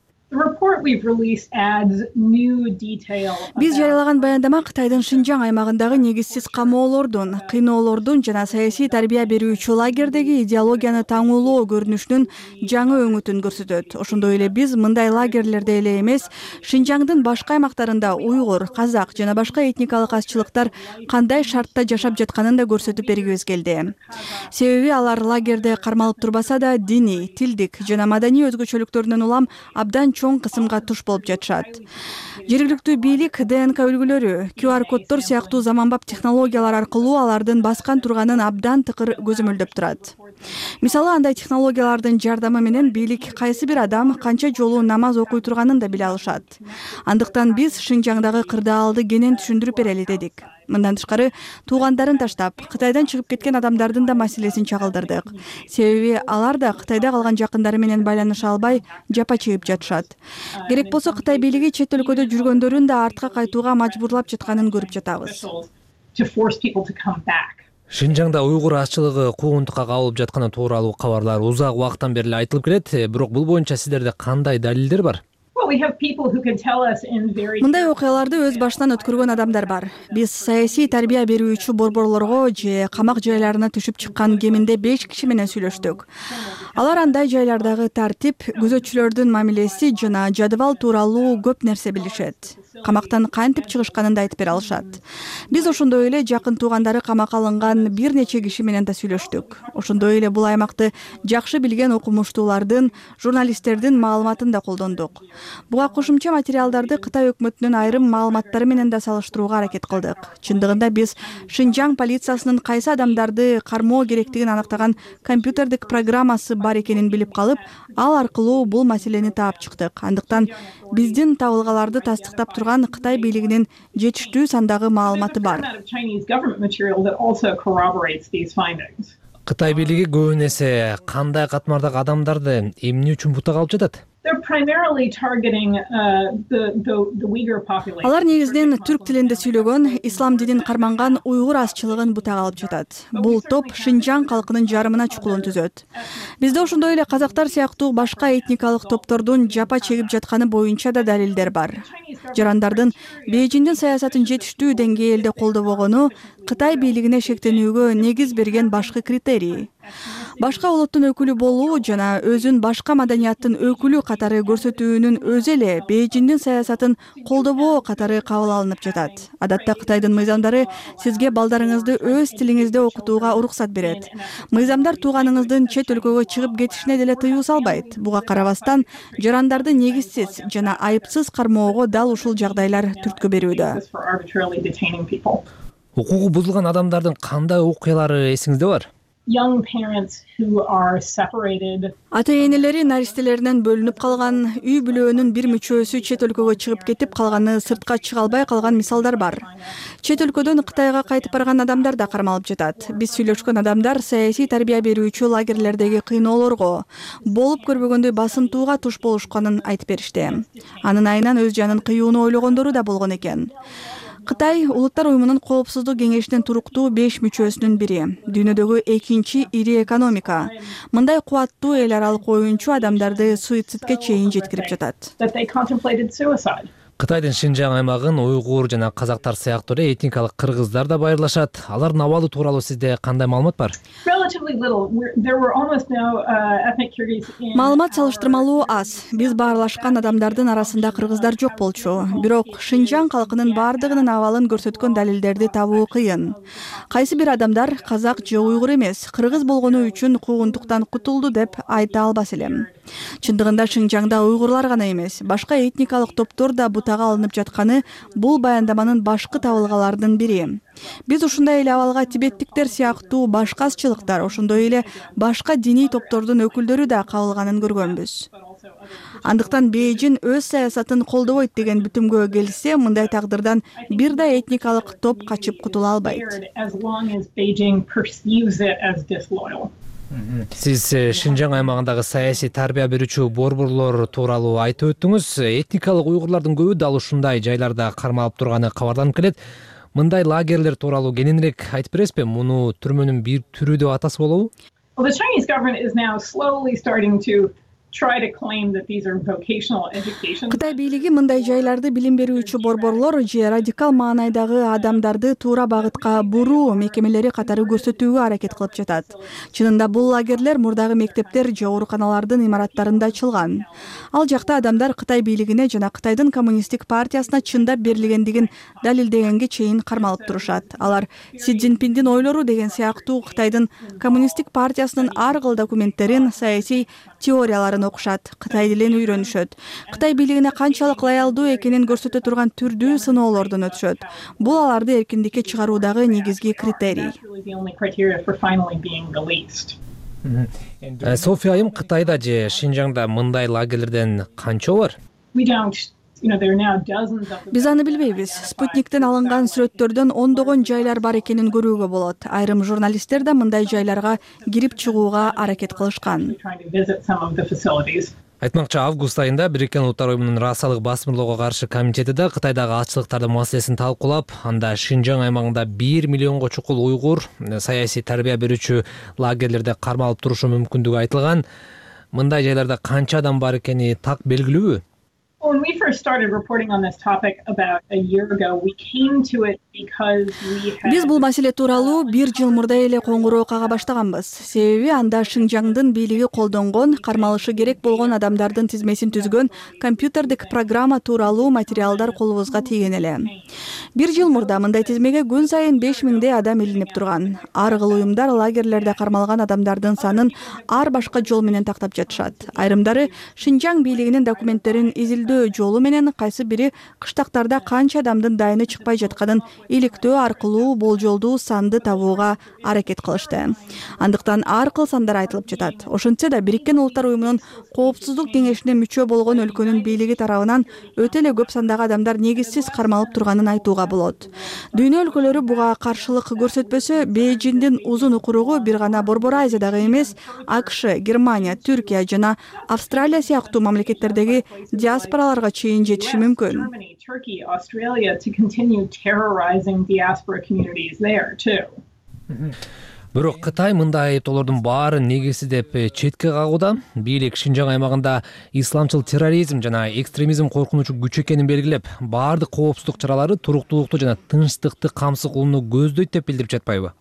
Биз жарыялаган баяндама Кытайдын Шинжаң аймагындагы негизсиз камоолордун, кыйноолордун жана саясий тарбия берүүчү лагердеги идеологияны таңуулоо көрүнүшүнүн жаңы өңүтүн көрсөтөт. Ошондой эле биз мындай лагерлерде эле эмес, Шинжаңдын башка аймактарында уйгур, казак жана башка этникалык азчылыктар кандай шартта жашап жатканын да көрсөтүп бергибиз келди. Себеби алар лагерде кармалып турбаса да диний, тилдик жана маданий өзгөчөлүктөрүнөн улам абдан чоң кысымга туш болуп жатышат. Жергиликтүү бийлик ДНК үлгүлөрү, ку ар коддор сыяктуу заманбап технологиялар аркылуу алардын баскан турганын абдан тыкыр көзөмөлдөп турат. Мисалы, андай технологиялардын жардамы менен бийлик кайсы бир адам канча жолу намаз окуй турганын да биле алышат. Андыктан биз Шинжаңдагы кырдаалды кенен түшүндүрүп берели дедик. Мындан тышкары, туугандарын таштап, Кытайдан чыгып кеткен адамдардын да маселесин чагылдырдык. Себеби алар да Кытайда калган жакындары менен байланыша албай, жапа чегип жатышат. Керек болсо Кытай бийлиги чет өлкөдө жүргөндөрүн да артка кайтууга мажбурлап жатканын көрүп жатабыз. Шинжаңда уйгур азчылыгы куугунтукка кабылып жатканы тууралуу кабарлар узак убакыттан бери айтылып келет, бирок бул боюнча сиздерде кандай далилдер бар? Мындай окуяларды өз башынан өткөргөн адамдар бар. Биз саясий тарбия берүүчү борборлорго же камак жайларына түшүп чыккан кеминде беш киши менен сүйлөштүк. Алар андай жайлардагы тартип, күзөтчүлөрдүн мамилеси жана жадыбал тууралуу көп нерсе билишет. Камактан кантип чыгышканын да айтып бере алышат. Биз ошондой эле жакын туугандары камакка алынган бир нече киши менен да сүйлөштүк. Ошондой эле бул аймакты жакшы билген окумуштуулардын, журналисттердин маалыматын да колдондук. Буга кошумча материалдарды Кытай өкмөтүнүн айрым маалыматтары менен да салыштырууга аракет кылдык. Чындыгында биз Шинжаң полициясынын кайсы адамдарды кармоо керектигин аныктаган компьютердик программасы бар экенин билип калып, ал аркылуу бул маселени таап чыктык. Андыктан биздин табылгаларды тастыктап турган Кытай бийлигинин жетиштүү сандагы маалыматы бар. Кытай бийлиги көбүн эсе кандай катмардагы адамдарды эмне үчүн бутак алып жатат? Алар негизинен түрк тилинде сүйлөгөн, ислам динин карманган уйгур азчылыгын бутак алып жатат. Бул топ Шинжаң калкынын жарымына чукулун түзөт. Бизде ошондой эле казактар сыяктуу башка этникалык топтордун жапа чегип жатканы боюнча да далилдер бар. Жарандардын Бейжиңдин саясатын жетиштүү деңгээлде колдобогону Кытай бийлигине шектенүүгө негиз берген башкы критерий. Башка улуттун өкүлү болуу жана өзүн башка маданияттын өкүлү катары көрсөтүүнүн өзү эле Бейжиңдин саясатын колдобоо катары кабыл алынып жатат. Адатта Кытайдын мыйзамдары сизге балдарыңызды өз тилиңизде окутууга уруксат берет. Мыйзамдар тууганыңыздын чет өлкөгө чыгып кетишине деле тыюу салбайт. Буга карабастан жарандарды негизсиз жана айыпсыз кармоого дал ушул жагдайлар түрткү берүүдө. Укугу бузулган адамдардын кандай окуялары эсиңизде бар? Ата-энелери наристелеринен бөлүнүп калган, үй бүлөөнүн бир мүчөсү чет өлкөгө чыгып кетип калганы, сыртка чыга албай калган мисалдар бар. Чет өлкөдөн Кытайга кайтып барган адамдар да кармалып жатат. Биз сүйлөшкөн адамдар саясий тарбия берүүчү лагерлердеги кыйноолорго, болуп көрбөгөндөй басынтууга туш болушканын айтып беришти. Анын айынан өз жанын кыюуну ойлогондору да болгон экен. Кытай Улуттар уюмунун коопсуздук кеңешинин туруктуу беш мүчөсүнүн бири. Дүйнөдөгү экинчи ири экономика. Мындай кубаттуу эл аралык оюнчу адамдарды суицидке чейин жеткирип жатат. Кытайдын Шинжаң аймагын уйгур жана казактар сыяктуу эле этникалык кыргыздар да байырлашат. Алардын абалы тууралуу сизде кандай маалымат бар? Маалымат салыштырмалуу аз. Биз баарлашкан адамдардын арасында кыргыздар жок болчу. Бирок Шинжаң калкынын бардыгынын абалын көрсөткөн далилдерди табуу кыйын. Кайсы бир адамдар казак же уйгур эмес, кыргыз болгону үчүн куугунтуктан кутулду деп айта албас элем. Чындыгында Шинжаңда уйгурлар гана эмес, башка этникалык топтор да бутага алынып жатканы бул баяндаманын башкы табылгаларынын бири. Биз ушундай эле абалга тибеттиктер сыяктуу башка азчылыктар, ошондой эле башка диний топтордун өкүлдөрү да кабылганын көргөнбүз. Андыктан Бейжиң өз саясатын колдобойт деген бүтүмгө келсе, мындай тагдырдан бир да этникалык топ качып кутула албайт. Сиз Шинжаң аймагындагы саясий тарбия берүүчү борборлор тууралуу айтып өттүңүз. Этникалык уйгурлардын көбү дал ушундай жайларда кармалып турганы кабарланып келет. Мындай лагерлер тууралуу кененирээк айтып бересизби? Муну түрмөнүн бир түрү деп атасы болобу? Кытай бийлиги мындай жайларды билим берүүчү борборлор же радикал маанайдагы адамдарды туура багытка буруу мекемелери катары көрсөтүүгө аракет кылып жатат. Чынында бул лагерлер мурдагы мектептер же ооруканалардын имараттарында ачылган. Ал жакта адамдар Кытай бийлигине жана Кытайдын коммунисттик партиясына чындап берилгендигин далилдегенге чейин кармалып турушат. Алар Си Цзиньпиндин ойлору деген сыяктуу Кытайдын коммунисттик партиясынын ар кыл документтерин, саясий теорияларын окушат, Кытай тилин үйрөнүшөт. Кытай бийлигине канчалык лоялдуу экенин көрсөтө турган түрдүү сыноолордон өтүшөт. Бул аларды эркиндикке чыгаруудагы негизги критерий. София айым, Кытайда же Шинжаңда мындай лагерлерден канча бар? Биз аны билбейбиз. Спутниктен алынган сүрөттөрдөн ондогон жайлар бар экенин көрүүгө болот. Айрым журналисттер да мындай жайларга кирип чыгууга аракет кылышкан. Айтмакчы, август айында Бириккен Улуттар уюмунун расалык басмырлоого каршы комитети да Кытайдагы ачылыктардын маселесин талкуулап, анда Шинжаң аймагында бир миллионго чукул уйгур саясий тарбия берүүчү лагерлерде кармалып турушу мүмкүндүгү айтылган. Мындай жайларда канча адам бар экени так белгилүүбү? When we first started reporting on this topic about a year ago, we came to it because we had... Биз бул маселе тууралуу бир жыл мурда эле коңгуроо кага баштаганбыз. Себеби анда Шинжаңдын бийлиги колдонгон, кармалышы керек болгон адамдардын тизмесин түзгөн компьютердик программа тууралуу материалдар колубузга тийген эле. Бир жыл мурда мындай тизмеге күн сайын беш миңдей адам илинип турган. Ар кыл уюмдар лагерлерде кармалган адамдардын санын ар башка жол менен тактап жатышат. Айрымдары Шинжаң бийлигинин документтерин изилдөө иликтөө жолу менен кайсы бири кыштактарда канча адамдын дайыны чыкпай жатканын иликтөө аркылуу болжолдуу санды табууга аракет кылышты. Андыктан ар кыл сандар айтылып жатат. Ошентсе да Бириккен Улуттар уюмунун коопсуздук кеңешине мүчө болгон өлкөнүн бийлиги тарабынан өтө эле көп сандагы адамдар негизсиз кармалып турганын айтууга болот. Дүйнө өлкөлөрү буга каршылык көрсөтпөсө, Бейжиңдин узун укуругу бир гана Борбор Азиядагы эмес, АКШ, Германия, Түркия жана Австралия сыяктуу мамлекеттердеги диаспораларга чейин жетиши мүмкүн. Turkey, Australia to continue terrorizing diaspora communities there too. Бирок Кытай мындай айыптоолордун баарын негизсиз деп четке кагууда. Бийлик Шинжаң аймагында исламчыл терроризм жана экстремизм коркунучу күч экенин белгилеп, баардык коопсуздук чаралары туруктуулукту жана тынчтыкты камсыз кылууну көздөйт деп билдирип жатпайбы?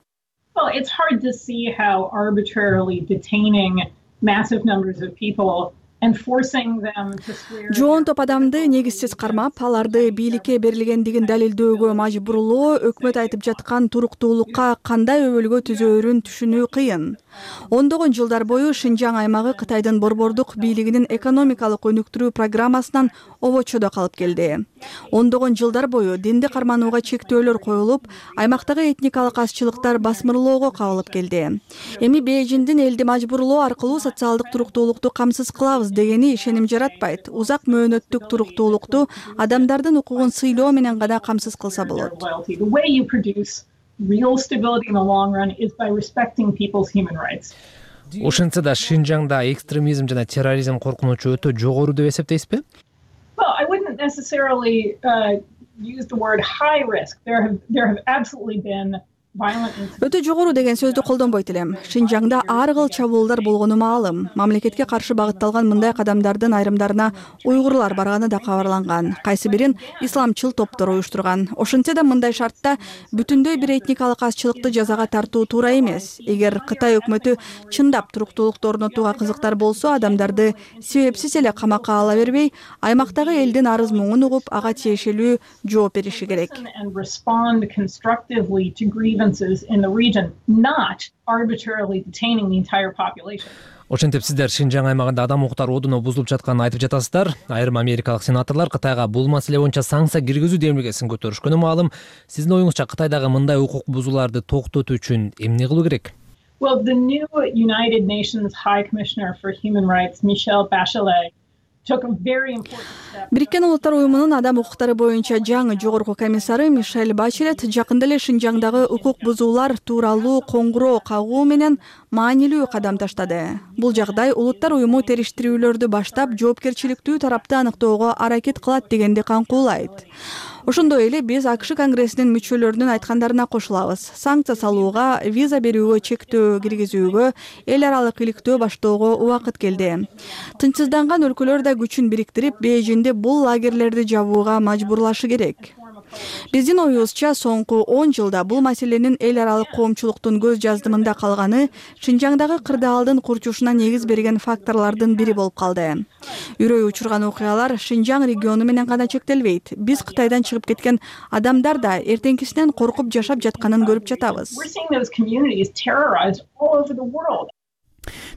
Well, it's hard to see how arbitrarily detaining massive numbers of people and forcing them to swear. Жоон топ адамды негизсиз кармап, аларды бийликке берилгендигин далилдөөгө мажбурлоо өкмөт айтып жаткан туруктуулукка кандай өбөлгө түзөөрүн түшүнүү кыйын. Ондогон жылдар бою Шинжаң аймагы Кытайдын борбордук бийлигинин экономикалык өнүктүрүү программасынан обочодо калып келди. Ондогон жылдар бою динди карманууга чектөөлөр коюлуп, аймактагы этникалык азчылыктар басмырлоого кабылып келди. Эми Бейжиңдин элди мажбурлоо аркылуу социалдык туруктуулукту камсыз кылабыз дегени ишеним жаратпайт. Узак мөөнөттүк туруктуулукту адамдардын укугун сыйлоо менен гана камсыз кылса болот. Real stability in the long run is by respecting people's human rights. Ошентсе да Шинжаңда экстремизм жана терроризм коркунучу өтө жогору деп эсептейсизби? Well, I wouldn't necessarily uh, use the word high risk. There have there have absolutely been Өтө жогору деген сөздү колдонбойт элем. Шинжаңда ар кыл чабуулдар болгону маалым. Мамлекетке каршы багытталган мындай кадамдардын айрымдарына уйгурлар барганы да кабарланган. Кайсы бирин исламчыл топтор уюштурган. Ошентсе да мындай шартта бүтүндөй бир этникалык азчылыкты жазага тартуу туура эмес. Эгер Кытай өкмөтү чындап туруктуулукту орнотууга кызыктар болсо, адамдарды себепсиз эле камакка ала бербей, аймактагы элдин арыз муңун угуп, ага тиешелүү жооп бериши керек. In the region, not arbitrarily detaining the entire population. Ошентип сиздер Шинжаң аймагында адам укуктары одуну бузулуп жатканын айтып жатасыздар. Айрым америкалык сенаторлор Кытайга бул маселе боюнча санкция киргизүү демилгесин көтөрүшкөнү маалым. Сиздин оюңузча Кытайдагы мындай укук бузууларды токтотуу үчүн эмне кылуу керек? Well, the new United Nations High Commissioner for Human Rights, Michelle Bachelet, Бириккен Улуттар уюмунун адам укуктары боюнча жаңы жогорку комиссары Мишель Бачелет жакында эле Шинжаңдагы укук бузуулар тууралуу коңгуроо кагуу менен маанилүү кадам таштады. Бул жагдай Улуттар уюму териштирүүлөрдү баштап жоопкерчиликтүү тарапты аныктоого аракет кылат дегенди каңкуулайт. Ошондой эле биз АКШ Конгрессинин мүчөлөрүнүн айткандарына кошулабыз. Санкция салууга, виза берүүгө чектөө киргизүүгө, эл аралык иликтөө баштоого убакыт келди. Тынчсызданган өлкөлөр да күчүн бириктирип, Бейжиңди бул лагерлерди жабууга мажбурлашы керек. Биздин оюбузча соңку он жылда бул маселенин эл аралык коомчулуктун көз жаздымында калганы Шинжаңдагы кырдаалдын курчушуна негиз берген факторлордун бири болуп калды. Үрөй учурган окуялар Шинжаң региону менен гана чектелбейт. Биз Кытайдан чыгып кеткен адамдар да эртеңкисинен коркуп жашап жатканын көрүп жатабыз.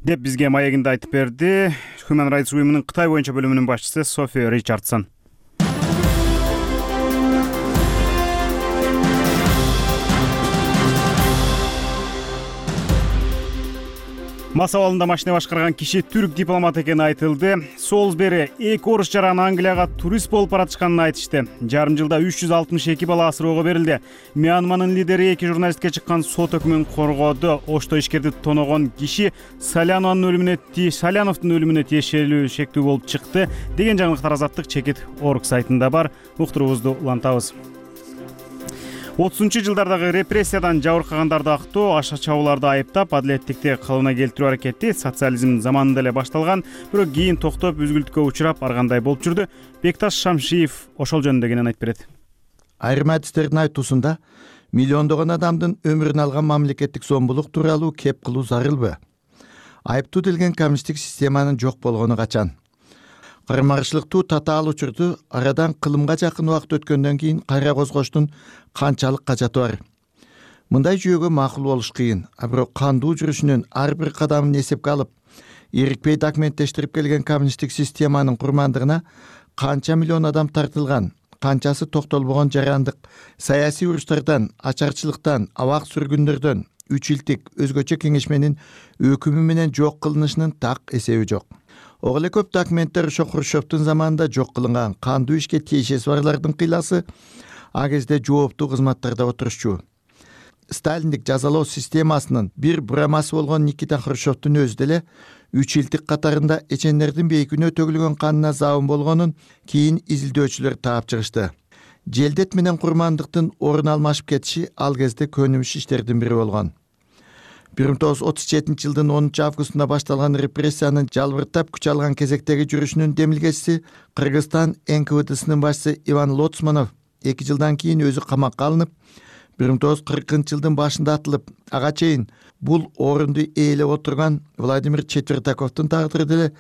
Деп бизге маегинде айтып берди Human Rights уюмунун Кытай боюнча бөлүмүнүн башчысы Софи Ричардсон. Мас абалында машина башкарган киши түрк дипломат экени айтылды. Солсбери эки орус жаран Англияга турист болуп баратышканын айтышты. Жарым жылда үч жүз алтымыш эки бала асыроого берилди. Мьянманын лидери эки журналистке чыккан сот өкмүн коргоду. Ошто ишкерди тоногон киши Саляновдун өлүмүнө ти Саляновдун өлүмүнө тиешелүү шектүү болуп чыкты деген жаңылыктар Азаттык чекит орг сайтында бар. Уктуруубузду улантабыз. отузунчу жылдардагы репрессиядан жабыркагандарды актоо, аша чабууларды айыптап, адилеттикти кылыбына келтирүү аракети социализм заманында эле башталган, бирок кийин токтоп, үзгүлтүккө учурап, ар кандай болуп жүрдү. Бекташ Шамшиев ошол жөнүндө кенен айтып берет. Айрым адистердин айтуусунда миллиондогон адамдын өмүрүн алган мамлекеттик зомбулук тууралуу кеп кылуу зарылбы? Айыптуу делген коммунисттик системанын жок болгону качан? Кармарчылыктуу татаал учурду арадан кылымга жакын убакыт өткөндөн кийин кайра козгоштун канчалык кажаты бар? Мындай жүйөгө макул болуш кыйын, а бирок кандуу жүрүшүнүн ар бир кадамын эсепке алып, эрикпей документтештирип келген коммунисттик системанын курмандыгына канча миллион адам тартылган, канчасы токтолбогон жарандык саясий уруштардан, ачарчылыктан, абак сүргүндөрдөн, үч илтик өзгөчө кеңешменин өкүмү менен жок кылынышынын так эсеби жок. Ого эле көп документтер ошо Хрущевдун заманында жок кылынган кандуу ишке тиешеси барлардын кыйласы а кезде жооптуу кызматтарда отурушчу. Сталиндик жазалоо системасынын бир бурамасы болгон Никита Хрущевдун өзү деле үч илтик катарында эчендердин бейкүнөө төгүлгөн канына забын болгонун кийин изилдөөчүлөр таап чыгышты. Желдет менен курмандыктын орун алмашып кетиши ал кезде көнүмүш иштердин бири болгон. бир миң тогуз жүз отуз жетинчи жылдын онунчу августунда башталган репрессиянын жалбыртап күч алган кезектеги жүрүшүнүн демилгечиси Кыргызстан эн ка вэ дэсинин башчысы Иван Лоцманов эки жылдан кийин өзү камакка алынып, бир миң тогуз жүз кыркынчы жылдын башында атылып, ага чейин бул орунду ээлеп отурган Владимир Четвертаковдун тагдыры деле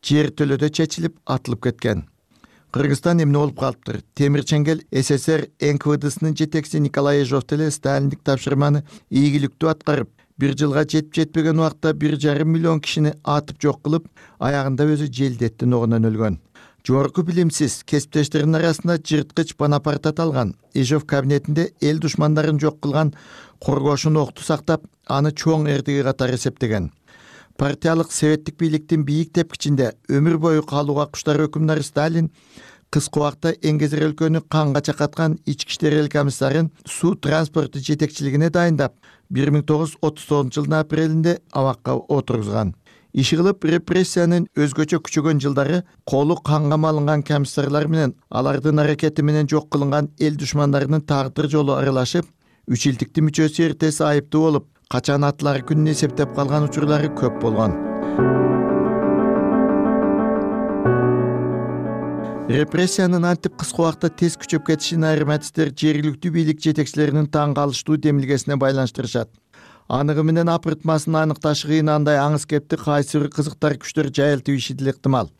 жер төлөдө чечилип атылып кеткен. Кыргызстан эмне болуп калыптыр? Темир Чеңгел эс эс эр эн ка вэ дэсинин жетекчиси Николай Ежов деле сталиндик тапшырманы ийгиликтүү аткарып, бир жылга жетип жетпеген убакта бир жарым миллион кишини атып жок кылып, аягында өзү желдеттин огунан өлгөн. Жогорку билимсиз кесиптештеринин арасында жырткыч Бонапарт аталган Ежов кабинетинде эл душмандарын жок кылган коргоошун окту сактап, аны чоң эрдиги катары эсептеген. Партиялык советтик бийликтин бийик тепкичинде өмүр бою калууга куштар өкүмдары Сталин кыска убакта Эңгезер өлкөнү канга чакаткан ички иштер эл комиссарын суу транспорту жетекчилигине дайындап, бир миң тогуз жүз отуз тогузунчу жылдын апрелинде абакка отургузган. Иши кылып репрессиянын өзгөчө күчөгөн жылдары колу канга малынган комиссарлар менен алардын аракети менен жок кылынган эл душмандарынын тагдыр жолу аралашып, үч илтиктин мүчөсү эртеси айыптуу болуп, качан атылары күнүн эсептеп калган учурлары көп болгон. Репрессиянын антип кыска убакта тез күчөп кетишин айрым адистер жергиликтүү бийлик жетекчилеринин таң калыштуу демилгесине байланыштырышат. Анығы менен апыртмасын аныкташы кыйын андай аңыз кепти кайсы бир кызыктар күчтөр жайылтып иши деле ыктымал.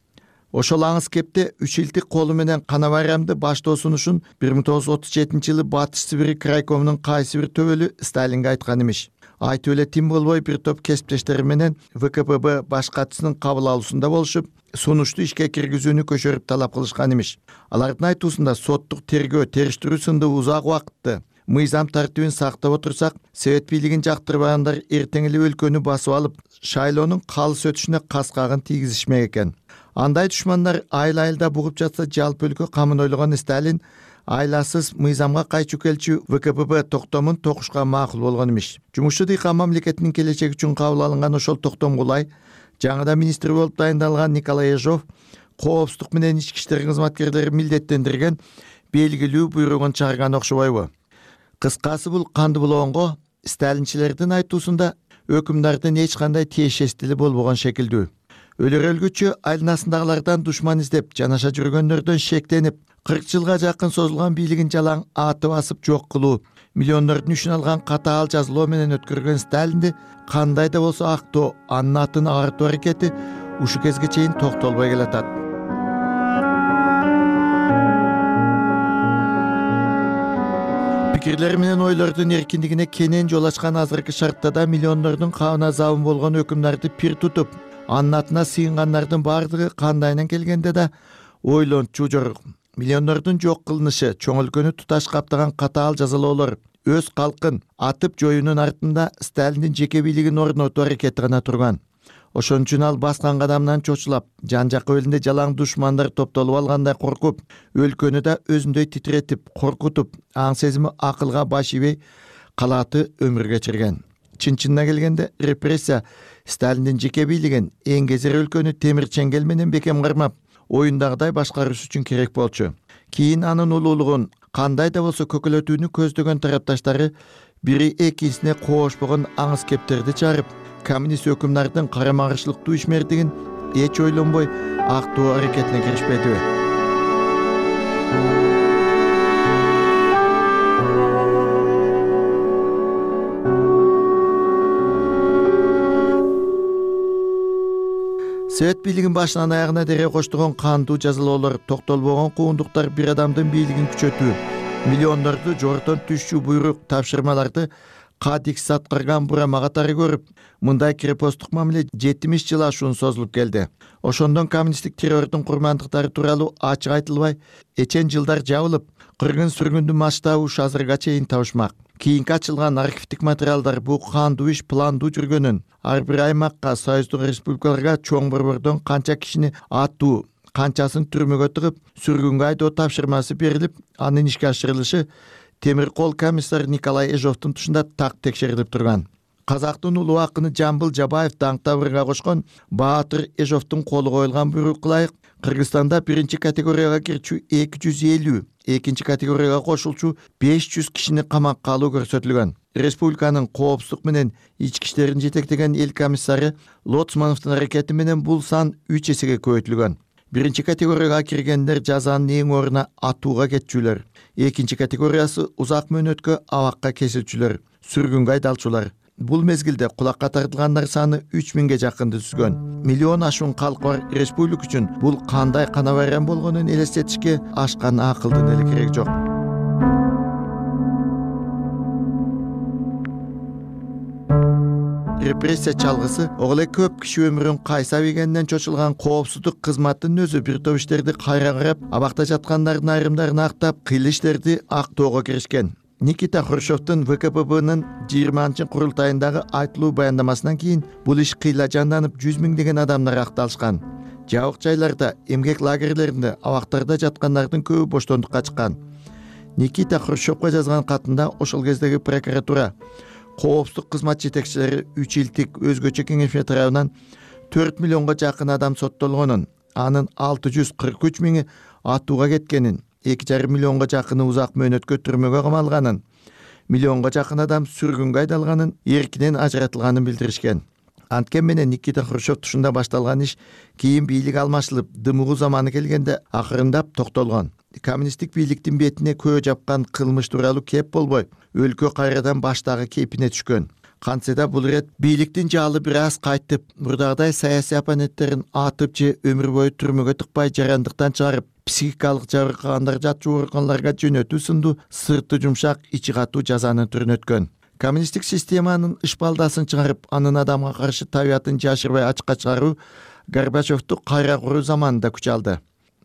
Ошол аңыз кепте үч илтик колу менен кана байрамды баштоо сунушун бир миң тогуз жүз отуз жетинчи жылы Батыш Сибирь крайкомунун кайсы бир төбөлү Сталинге айткан имиш. Айтып эле тим болбой бир топ кесиптештери менен вэ ка пэ бэ баш катчысынын кабыл алуусунда болушуп, сунушту ишке киргизүүнү көчөрүп талап кылышкан имиш. Алардын айтуусунда соттук тергөө, териштирүү сынды узак убакытты мыйзам тартибин сактап отурсак, совет бийлигин жактырбагандар эртең эле өлкөнү басып алып, шайлоонун калыс өтүшүнө каскагын тийгизишмек экен. Андай душмандар айыл-айылда бугуп жатса, жалпы өлкө камын ойлогон Сталин айласыз мыйзамга кайчу келчү вэ ка пэ бэ токтомун токушка макул болгон имиш. Жумушчу дыйкан мамлекетинин келечеги үчүн кабыл алынган ошол токтом кулай жаңыдан министр болуп дайындалган Николай Ежов коопсуздук менен ички иштер кызматкерлерин милдеттендирген белгилүү буйругун чыгарган окшобойбу? Кыскасы бул канды булоонго сталинчилердин айтуусунда өкүмдардын эч кандай тиешеси деле болбогон шекилдүү. Өлөр өлгүчө айланасындагылардан душман издеп, жанаша жүргөндөрдөн шектенип, кырк жылга жакын созулган бийлигин жалаң аты басып жок кылуу, миллиондордун үчүн алган катаал жазалоо менен өткөргөн Сталинди кандай да болсо актоо, анын атын агартуу аракети ушу кезге чейин токтолбой келатат. Пикирлер менен ойлордун эркиндигине кенен жол ачкан азыркы шартта да миллиондордун кабына забын болгон өкүмдарды пир тутуп, анын атына сыйынгандардын бардыгы кандайынан келгенде да ойлончу жорук. Миллиондордун жок кылынышы, чоң өлкөнү туташ каптаган катаал жазалоолор, өз калкын атып жоюунун артында Сталиндин жеке бийлигин орнотуу аракети гана турган. Ошон үчүн ал баскан кадамынан чочулап, жан жакка элинде жалаң душмандар топтолуп алгандай коркуп, өлкөнү да өзүндөй титиретип, коркутуп, аң сезими акылга баш ийбей калааты өмүр кечирген. Чын-чынына келгенде репрессия Сталиндин жеке бийлигин, Эңгезер өлкөнү темир чеңгел менен бекем кармап, оюндагыдай башкарыш үчүн керек болчу. Кийин анын улуулугун кандай да болсо көкөлөтүүнү көздөгөн тарапташтары бири экинчисине коошпогон аңыз кептерди чыгарып, коммунист өкүмдардын карама-каршылыктуу ишмердигин эч ойлонбой актоо аракетине киришпедиби? Совет бийлигин башынан аягына дере коштогон кандуу жазалоолор, токтолбогон куундуктар бир адамдын бийлигин күчөтүү, миллиондорду жогорудон түшчү буйрук, тапшырмаларды кадикс аткарган бурама катары көрүп, мындай крепосттук мамиле жетимиш жыл ашуун созулуп келди. Ошондон коммунисттик террордун курмандыктары тууралуу ачык айтылбай, эчен жылдар жабылып, кыргын сүргүндүн масштабы ушу азырга чейин табышмак. Кийинки ачылган архивдик материалдар бул кандуу иш пландуу жүргөнүн, ар бир аймакка, союздук республикаларга чоң борбордон канча кишини аттуу, канчасын түрмөгө тыгып, сүргүнгө айдоо тапшырмасы берилип, анын ишке ашырылышы темир кол комиссар Николай Эжовдун тушунда так текшерилип турган. Казактын улуу акыны Жамбыл Жабаев даңк табырга кошкон Баатыр Эжовдун колу коюлган буйрукка ылайык Кыргызстанда биринчи категорияга кирчү эки жүз элүү, экинчи категорияга кошулчу беш жүз кишини камакка алуу көрсөтүлгөн. Республиканын коопсуздук менен ички иштерин жетектеген эл комиссары Лоцмановдун аракети менен бул сан үч эсеге көбөйтүлгөн. Биринчи категорияга киргендер жазанын эң ордуна атууга кетчүлөр. Экинчи категориясы узак мөөнөткө абакка кесилчүлөр, сүргүнгө айдалчулар. Бул мезгилде кулакка тартылгандар саны үч миңге жакынды түзгөн. Миллион ашуун калкы бар республика үчүн бул кандай кана байрам болгонун элестетишке ашкан акылдын эле кереги жок. Репрессия чалгысы оголе көп киши өмүрүн кайсап ийгенден чочулган коопсуздук кызматтын өзү бир топ иштерди кайра карап, абакта жаткандардын айрымдарын актап, кыйыл иштерди актоого киришкен. Никита Хрущевдун вэ ка пэ бнын жыйырманчы курултайындагы айтылуу баяндамасынан кийин бул иш кыйла жанданып, жүз миңдеген адамдар акталышкан. Жабык жайларда, эмгек лагерлеринде, абактарда жаткандардын көбү боштондукка чыккан. Никита Хрущевго жазган катында ошол кездеги прокуратура, коопсуздук кызмат жетекчилери үч илдик өзгөчө кеңешме тарабынан төрт миллионго жакын адам соттолгонун, анын алты жүз кырк үч миңи атууга кеткенин, эки жарым миллионго жакыны узак мөөнөткө түрмөгө камалганын, миллионго жакын адам сүргүнгө айдалганын, эркинен ажыратылганын билдиришкен. Анткени менен Никита Хрущев тушунда башталган иш кийин бийлик алмашылып, дымыгуу заманы келгенде акырындап токтолгон. Коммунисттик бийликтин бетине көө жапкан кылмыш тууралуу кеп болбой, өлкө кайрадан баштагы кейпине түшкөн. Кантсе да бул ирет бийликтин жаалы бир аз кайтып, мурдагыдай саясий оппоненттерин атып же өмүр бою түрмөгө тыкпай жарандыктан чыгарып, психикалык жабыркагандар жатчу ооруканаларга жөнөтүү сынду сырты жумшак, ичи катуу жазанын түрүн өткөн. Коммунисттик системанын ышпалдасын чыгарып, анын адамга каршы табиятын жашырбай ачыкка чыгаруу Горбачевду кайра куруу заманында күч алды.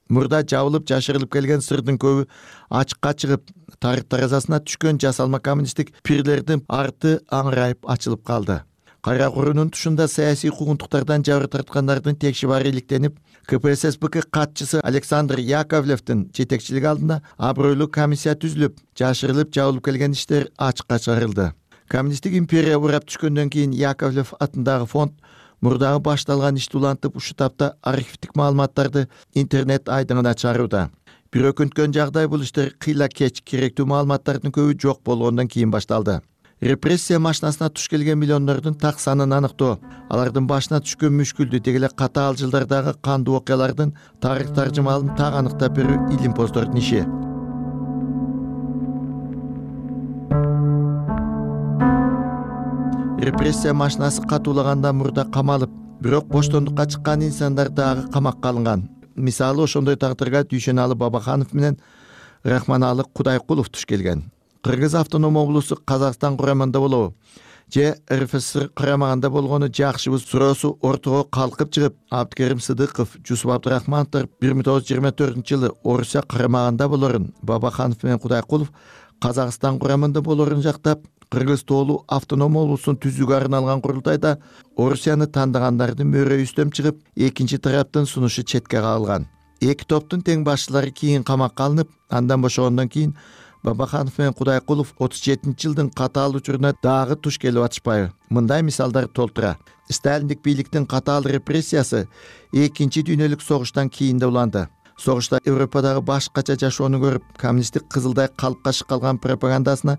Мурда жабылып жашырылып келген сырдын көбү ачыкка чыгып, тарых таразасына түшкөн жасалма коммунисттик пирлердин арты аңырайып ачылып калды. Кайра куруунун тушунда саясий куугунтуктардан жабыр тарткандардын текши баары иликтенип, ка пэ эс эс бэ ка катчысы Александр Яковлевдин жетекчилиги алдында абройлуу комиссия түзүлүп, жашырылып жабылып келген иштер ачыкка чыгарылды. Коммунисттик империя урап түшкөндөн кийин Яковлев атындагы фонд мурдагы башталган ишти улантып, ушу тапта архивдик маалыматтарды интернет айдыңына чыгарууда. Бир өкүнткөн жагдай бул иштер кыйла кеч, керектүү маалыматтардын көбү жок болгондон кийин башталды. Репрессия машинасына туш келген миллиондордун так санын аныктоо, алардын башына түшкөн мүшкүлдү, деги эле катаал жылдардагы кандуу окуялардын тарых таржымалын так аныктап берүү илимпоздордун иши. Репрессия машинасы катуулаганда мурда камалып, бирок боштондукка чыккан инсандар дагы камакка алынган. Мисалы, ошондой тагдырга Дүйшөналы Бабаханов менен Рахманалы Кудайкулов туш келген. Кыргыз автоном облусу Казакстан курамында болобу же эр эф эс эр курамагында болгону жакшыбы суроосу ортого калкып чыгып, Абдыкерим Сыдыков, Жусуп Абдрахмановдор бир миң тогуз жүз жыйырма төртүнчү жылы Орусия курамагында болорун, Бабаханов менен Кудайкулов Казакстан курамында болорун жактап, Кыргыз тоолуу автоном облусун түзүүгө арналган курултайда Орусияны тандагандардын мөөрөй үстөм чыгып, экинчи тараптын сунушу четке кагылган. Эки топтун тең башчылары кийин камакка алынып, андан бошогондон кийин Бабаханов менен Кудайкулов отуз жетинчи жылдын катаал учуруна дагы туш келип атышпайбы? Мындай мисалдар толтура. Сталиндик бийликтин катаал репрессиясы экинчи дүйнөлүк согуштан кийин да уланды. Согушта Европадагы башкача жашоону көрүп, коммунисттик кызылдай калпка калган пропагандасына,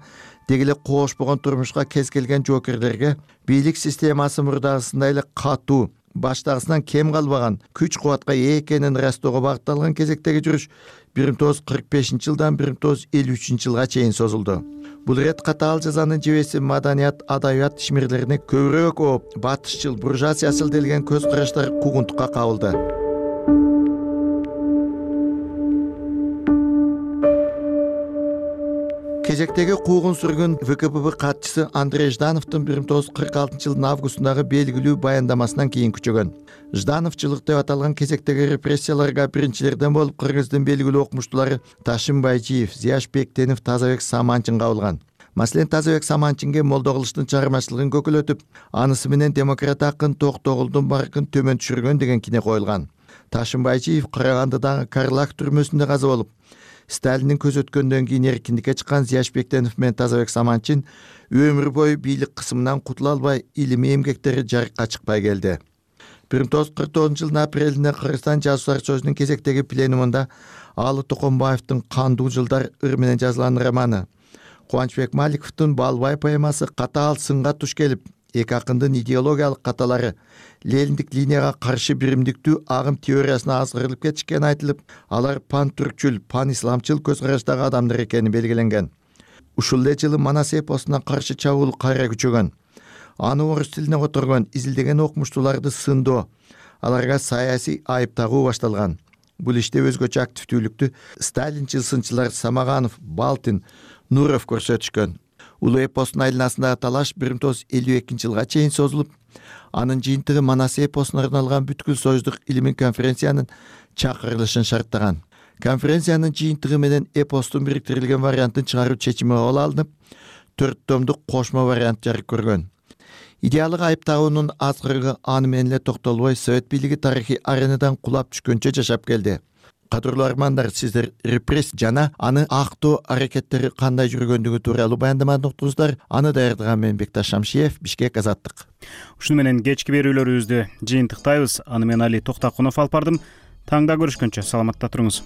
деги эле коошпогон турмушка кез келген жоокерлерге бийлик системасы мурдагысындай эле катуу, баштагысынан кем калбаган, күч кубатка ээ экенин ырастоого багытталган кезектеги жүрүш бир миң тогуз жүз кырк бешинчи жылдан бир миң тогуз жүз элүү үчүнчү жылга чейин созулду. Бул ирет катаал жазанын жебеси маданият, адабият ишмерлерине көбүрөөк ооп, батышчыл, буржуазиячыл делген көз караштар куугунтукка кабылды. кезектеги куугун сүргөн ВКПб катчысы Андрей Ждановдун бир миң тогуз жүз кырк алтынчы жылдын августундагы белгилүү баяндамасынан кийин күчөгөн. Ждановчулук деп аталган кезектеги репрессияларга биринчилерден болуп Кыргыздын белгилүү окумуштуулары Ташим Байжиев, Зияш Бектенов, Тазабек Саманчин кабылган. Маселен, Тазабек Саманчинге молдо кылыштын чыгармачылыгын көкөлөтүп, анысы менен демократ акын Токтогулдун баркын төмөн түшүргөн деген кине коюлган. Ташим Байжиев Карагандыдагы Карлак түрмөсүндө каза болуп, Сталиндин көз өткөндөн кийин эркиндикке чыккан Зияш Бектенов менен Тазабек Саманчин өмүр бою бийлик кысымынан кутула албай, илимий эмгектери жарыкка чыкпай келди. бир миң тогуз жүз кырк тогузунчу жылдын апрелинде Кыргызстан жазуучулар союзунун кезектеги пленумунда Аалы Токонбаевдин Кандуу жылдар ыр менен жазылган романы, Кубанычбек Маликовдун Балбай поэмасы катаал сынга туш келип, эки акындын идеологиялык каталары Лениндик линияга каршы биримдиктүү агым теориясына азгырылып кетишкени айтылып, алар пан-түркчүл, пан-исламчыл көз караштагы адамдар экени белгиленген. Ушул эле жылы Манас эпосуна каршы чабуул кайра күчөгөн. Аны орус тилине которгон изилдеген окумуштууларды сындоо, аларга саясий айып тагуу башталган. Бул иште өзгөчө активдүүлүктү сталинчил сынчылар Самаганов, Балтин, Нуров көрсөтүшкөн. Улуу эпостун айланасындагы талаш бир миң тогуз жүз элүү экинчи жылга чейин созулуп, анын жыйынтыгы Манас эпосуна арналган бүткүл союздук илимий конференциянын чакырылышын шарттаган. Конференциянын жыйынтыгы менен эпостун бириктирилген вариантын чыгаруу чечими кабыл алынып, төрт томдук кошмо вариант жарык көргөн. Идеалык айып тагуунун азгырыгы аны менен эле токтолбой Совет бийлиги тарыхый аренадан кулап түшкөнчө жашап келди. Кадырлуу армандар, сиздер репрессия жана аны актоо аракеттери кандай жүргөндүгү тууралуу баяндаманы уктуңуздар. Аны даярдаган мен Бекташ Шамшиев, Бишкек, Азаттык. Ушуну менен кечки берүүлөрүбүздү жыйынтыктайбыз. Аны мен Али Токтакунов алып бардым. Таңда көрүшкөнчө саламатта туруңуз.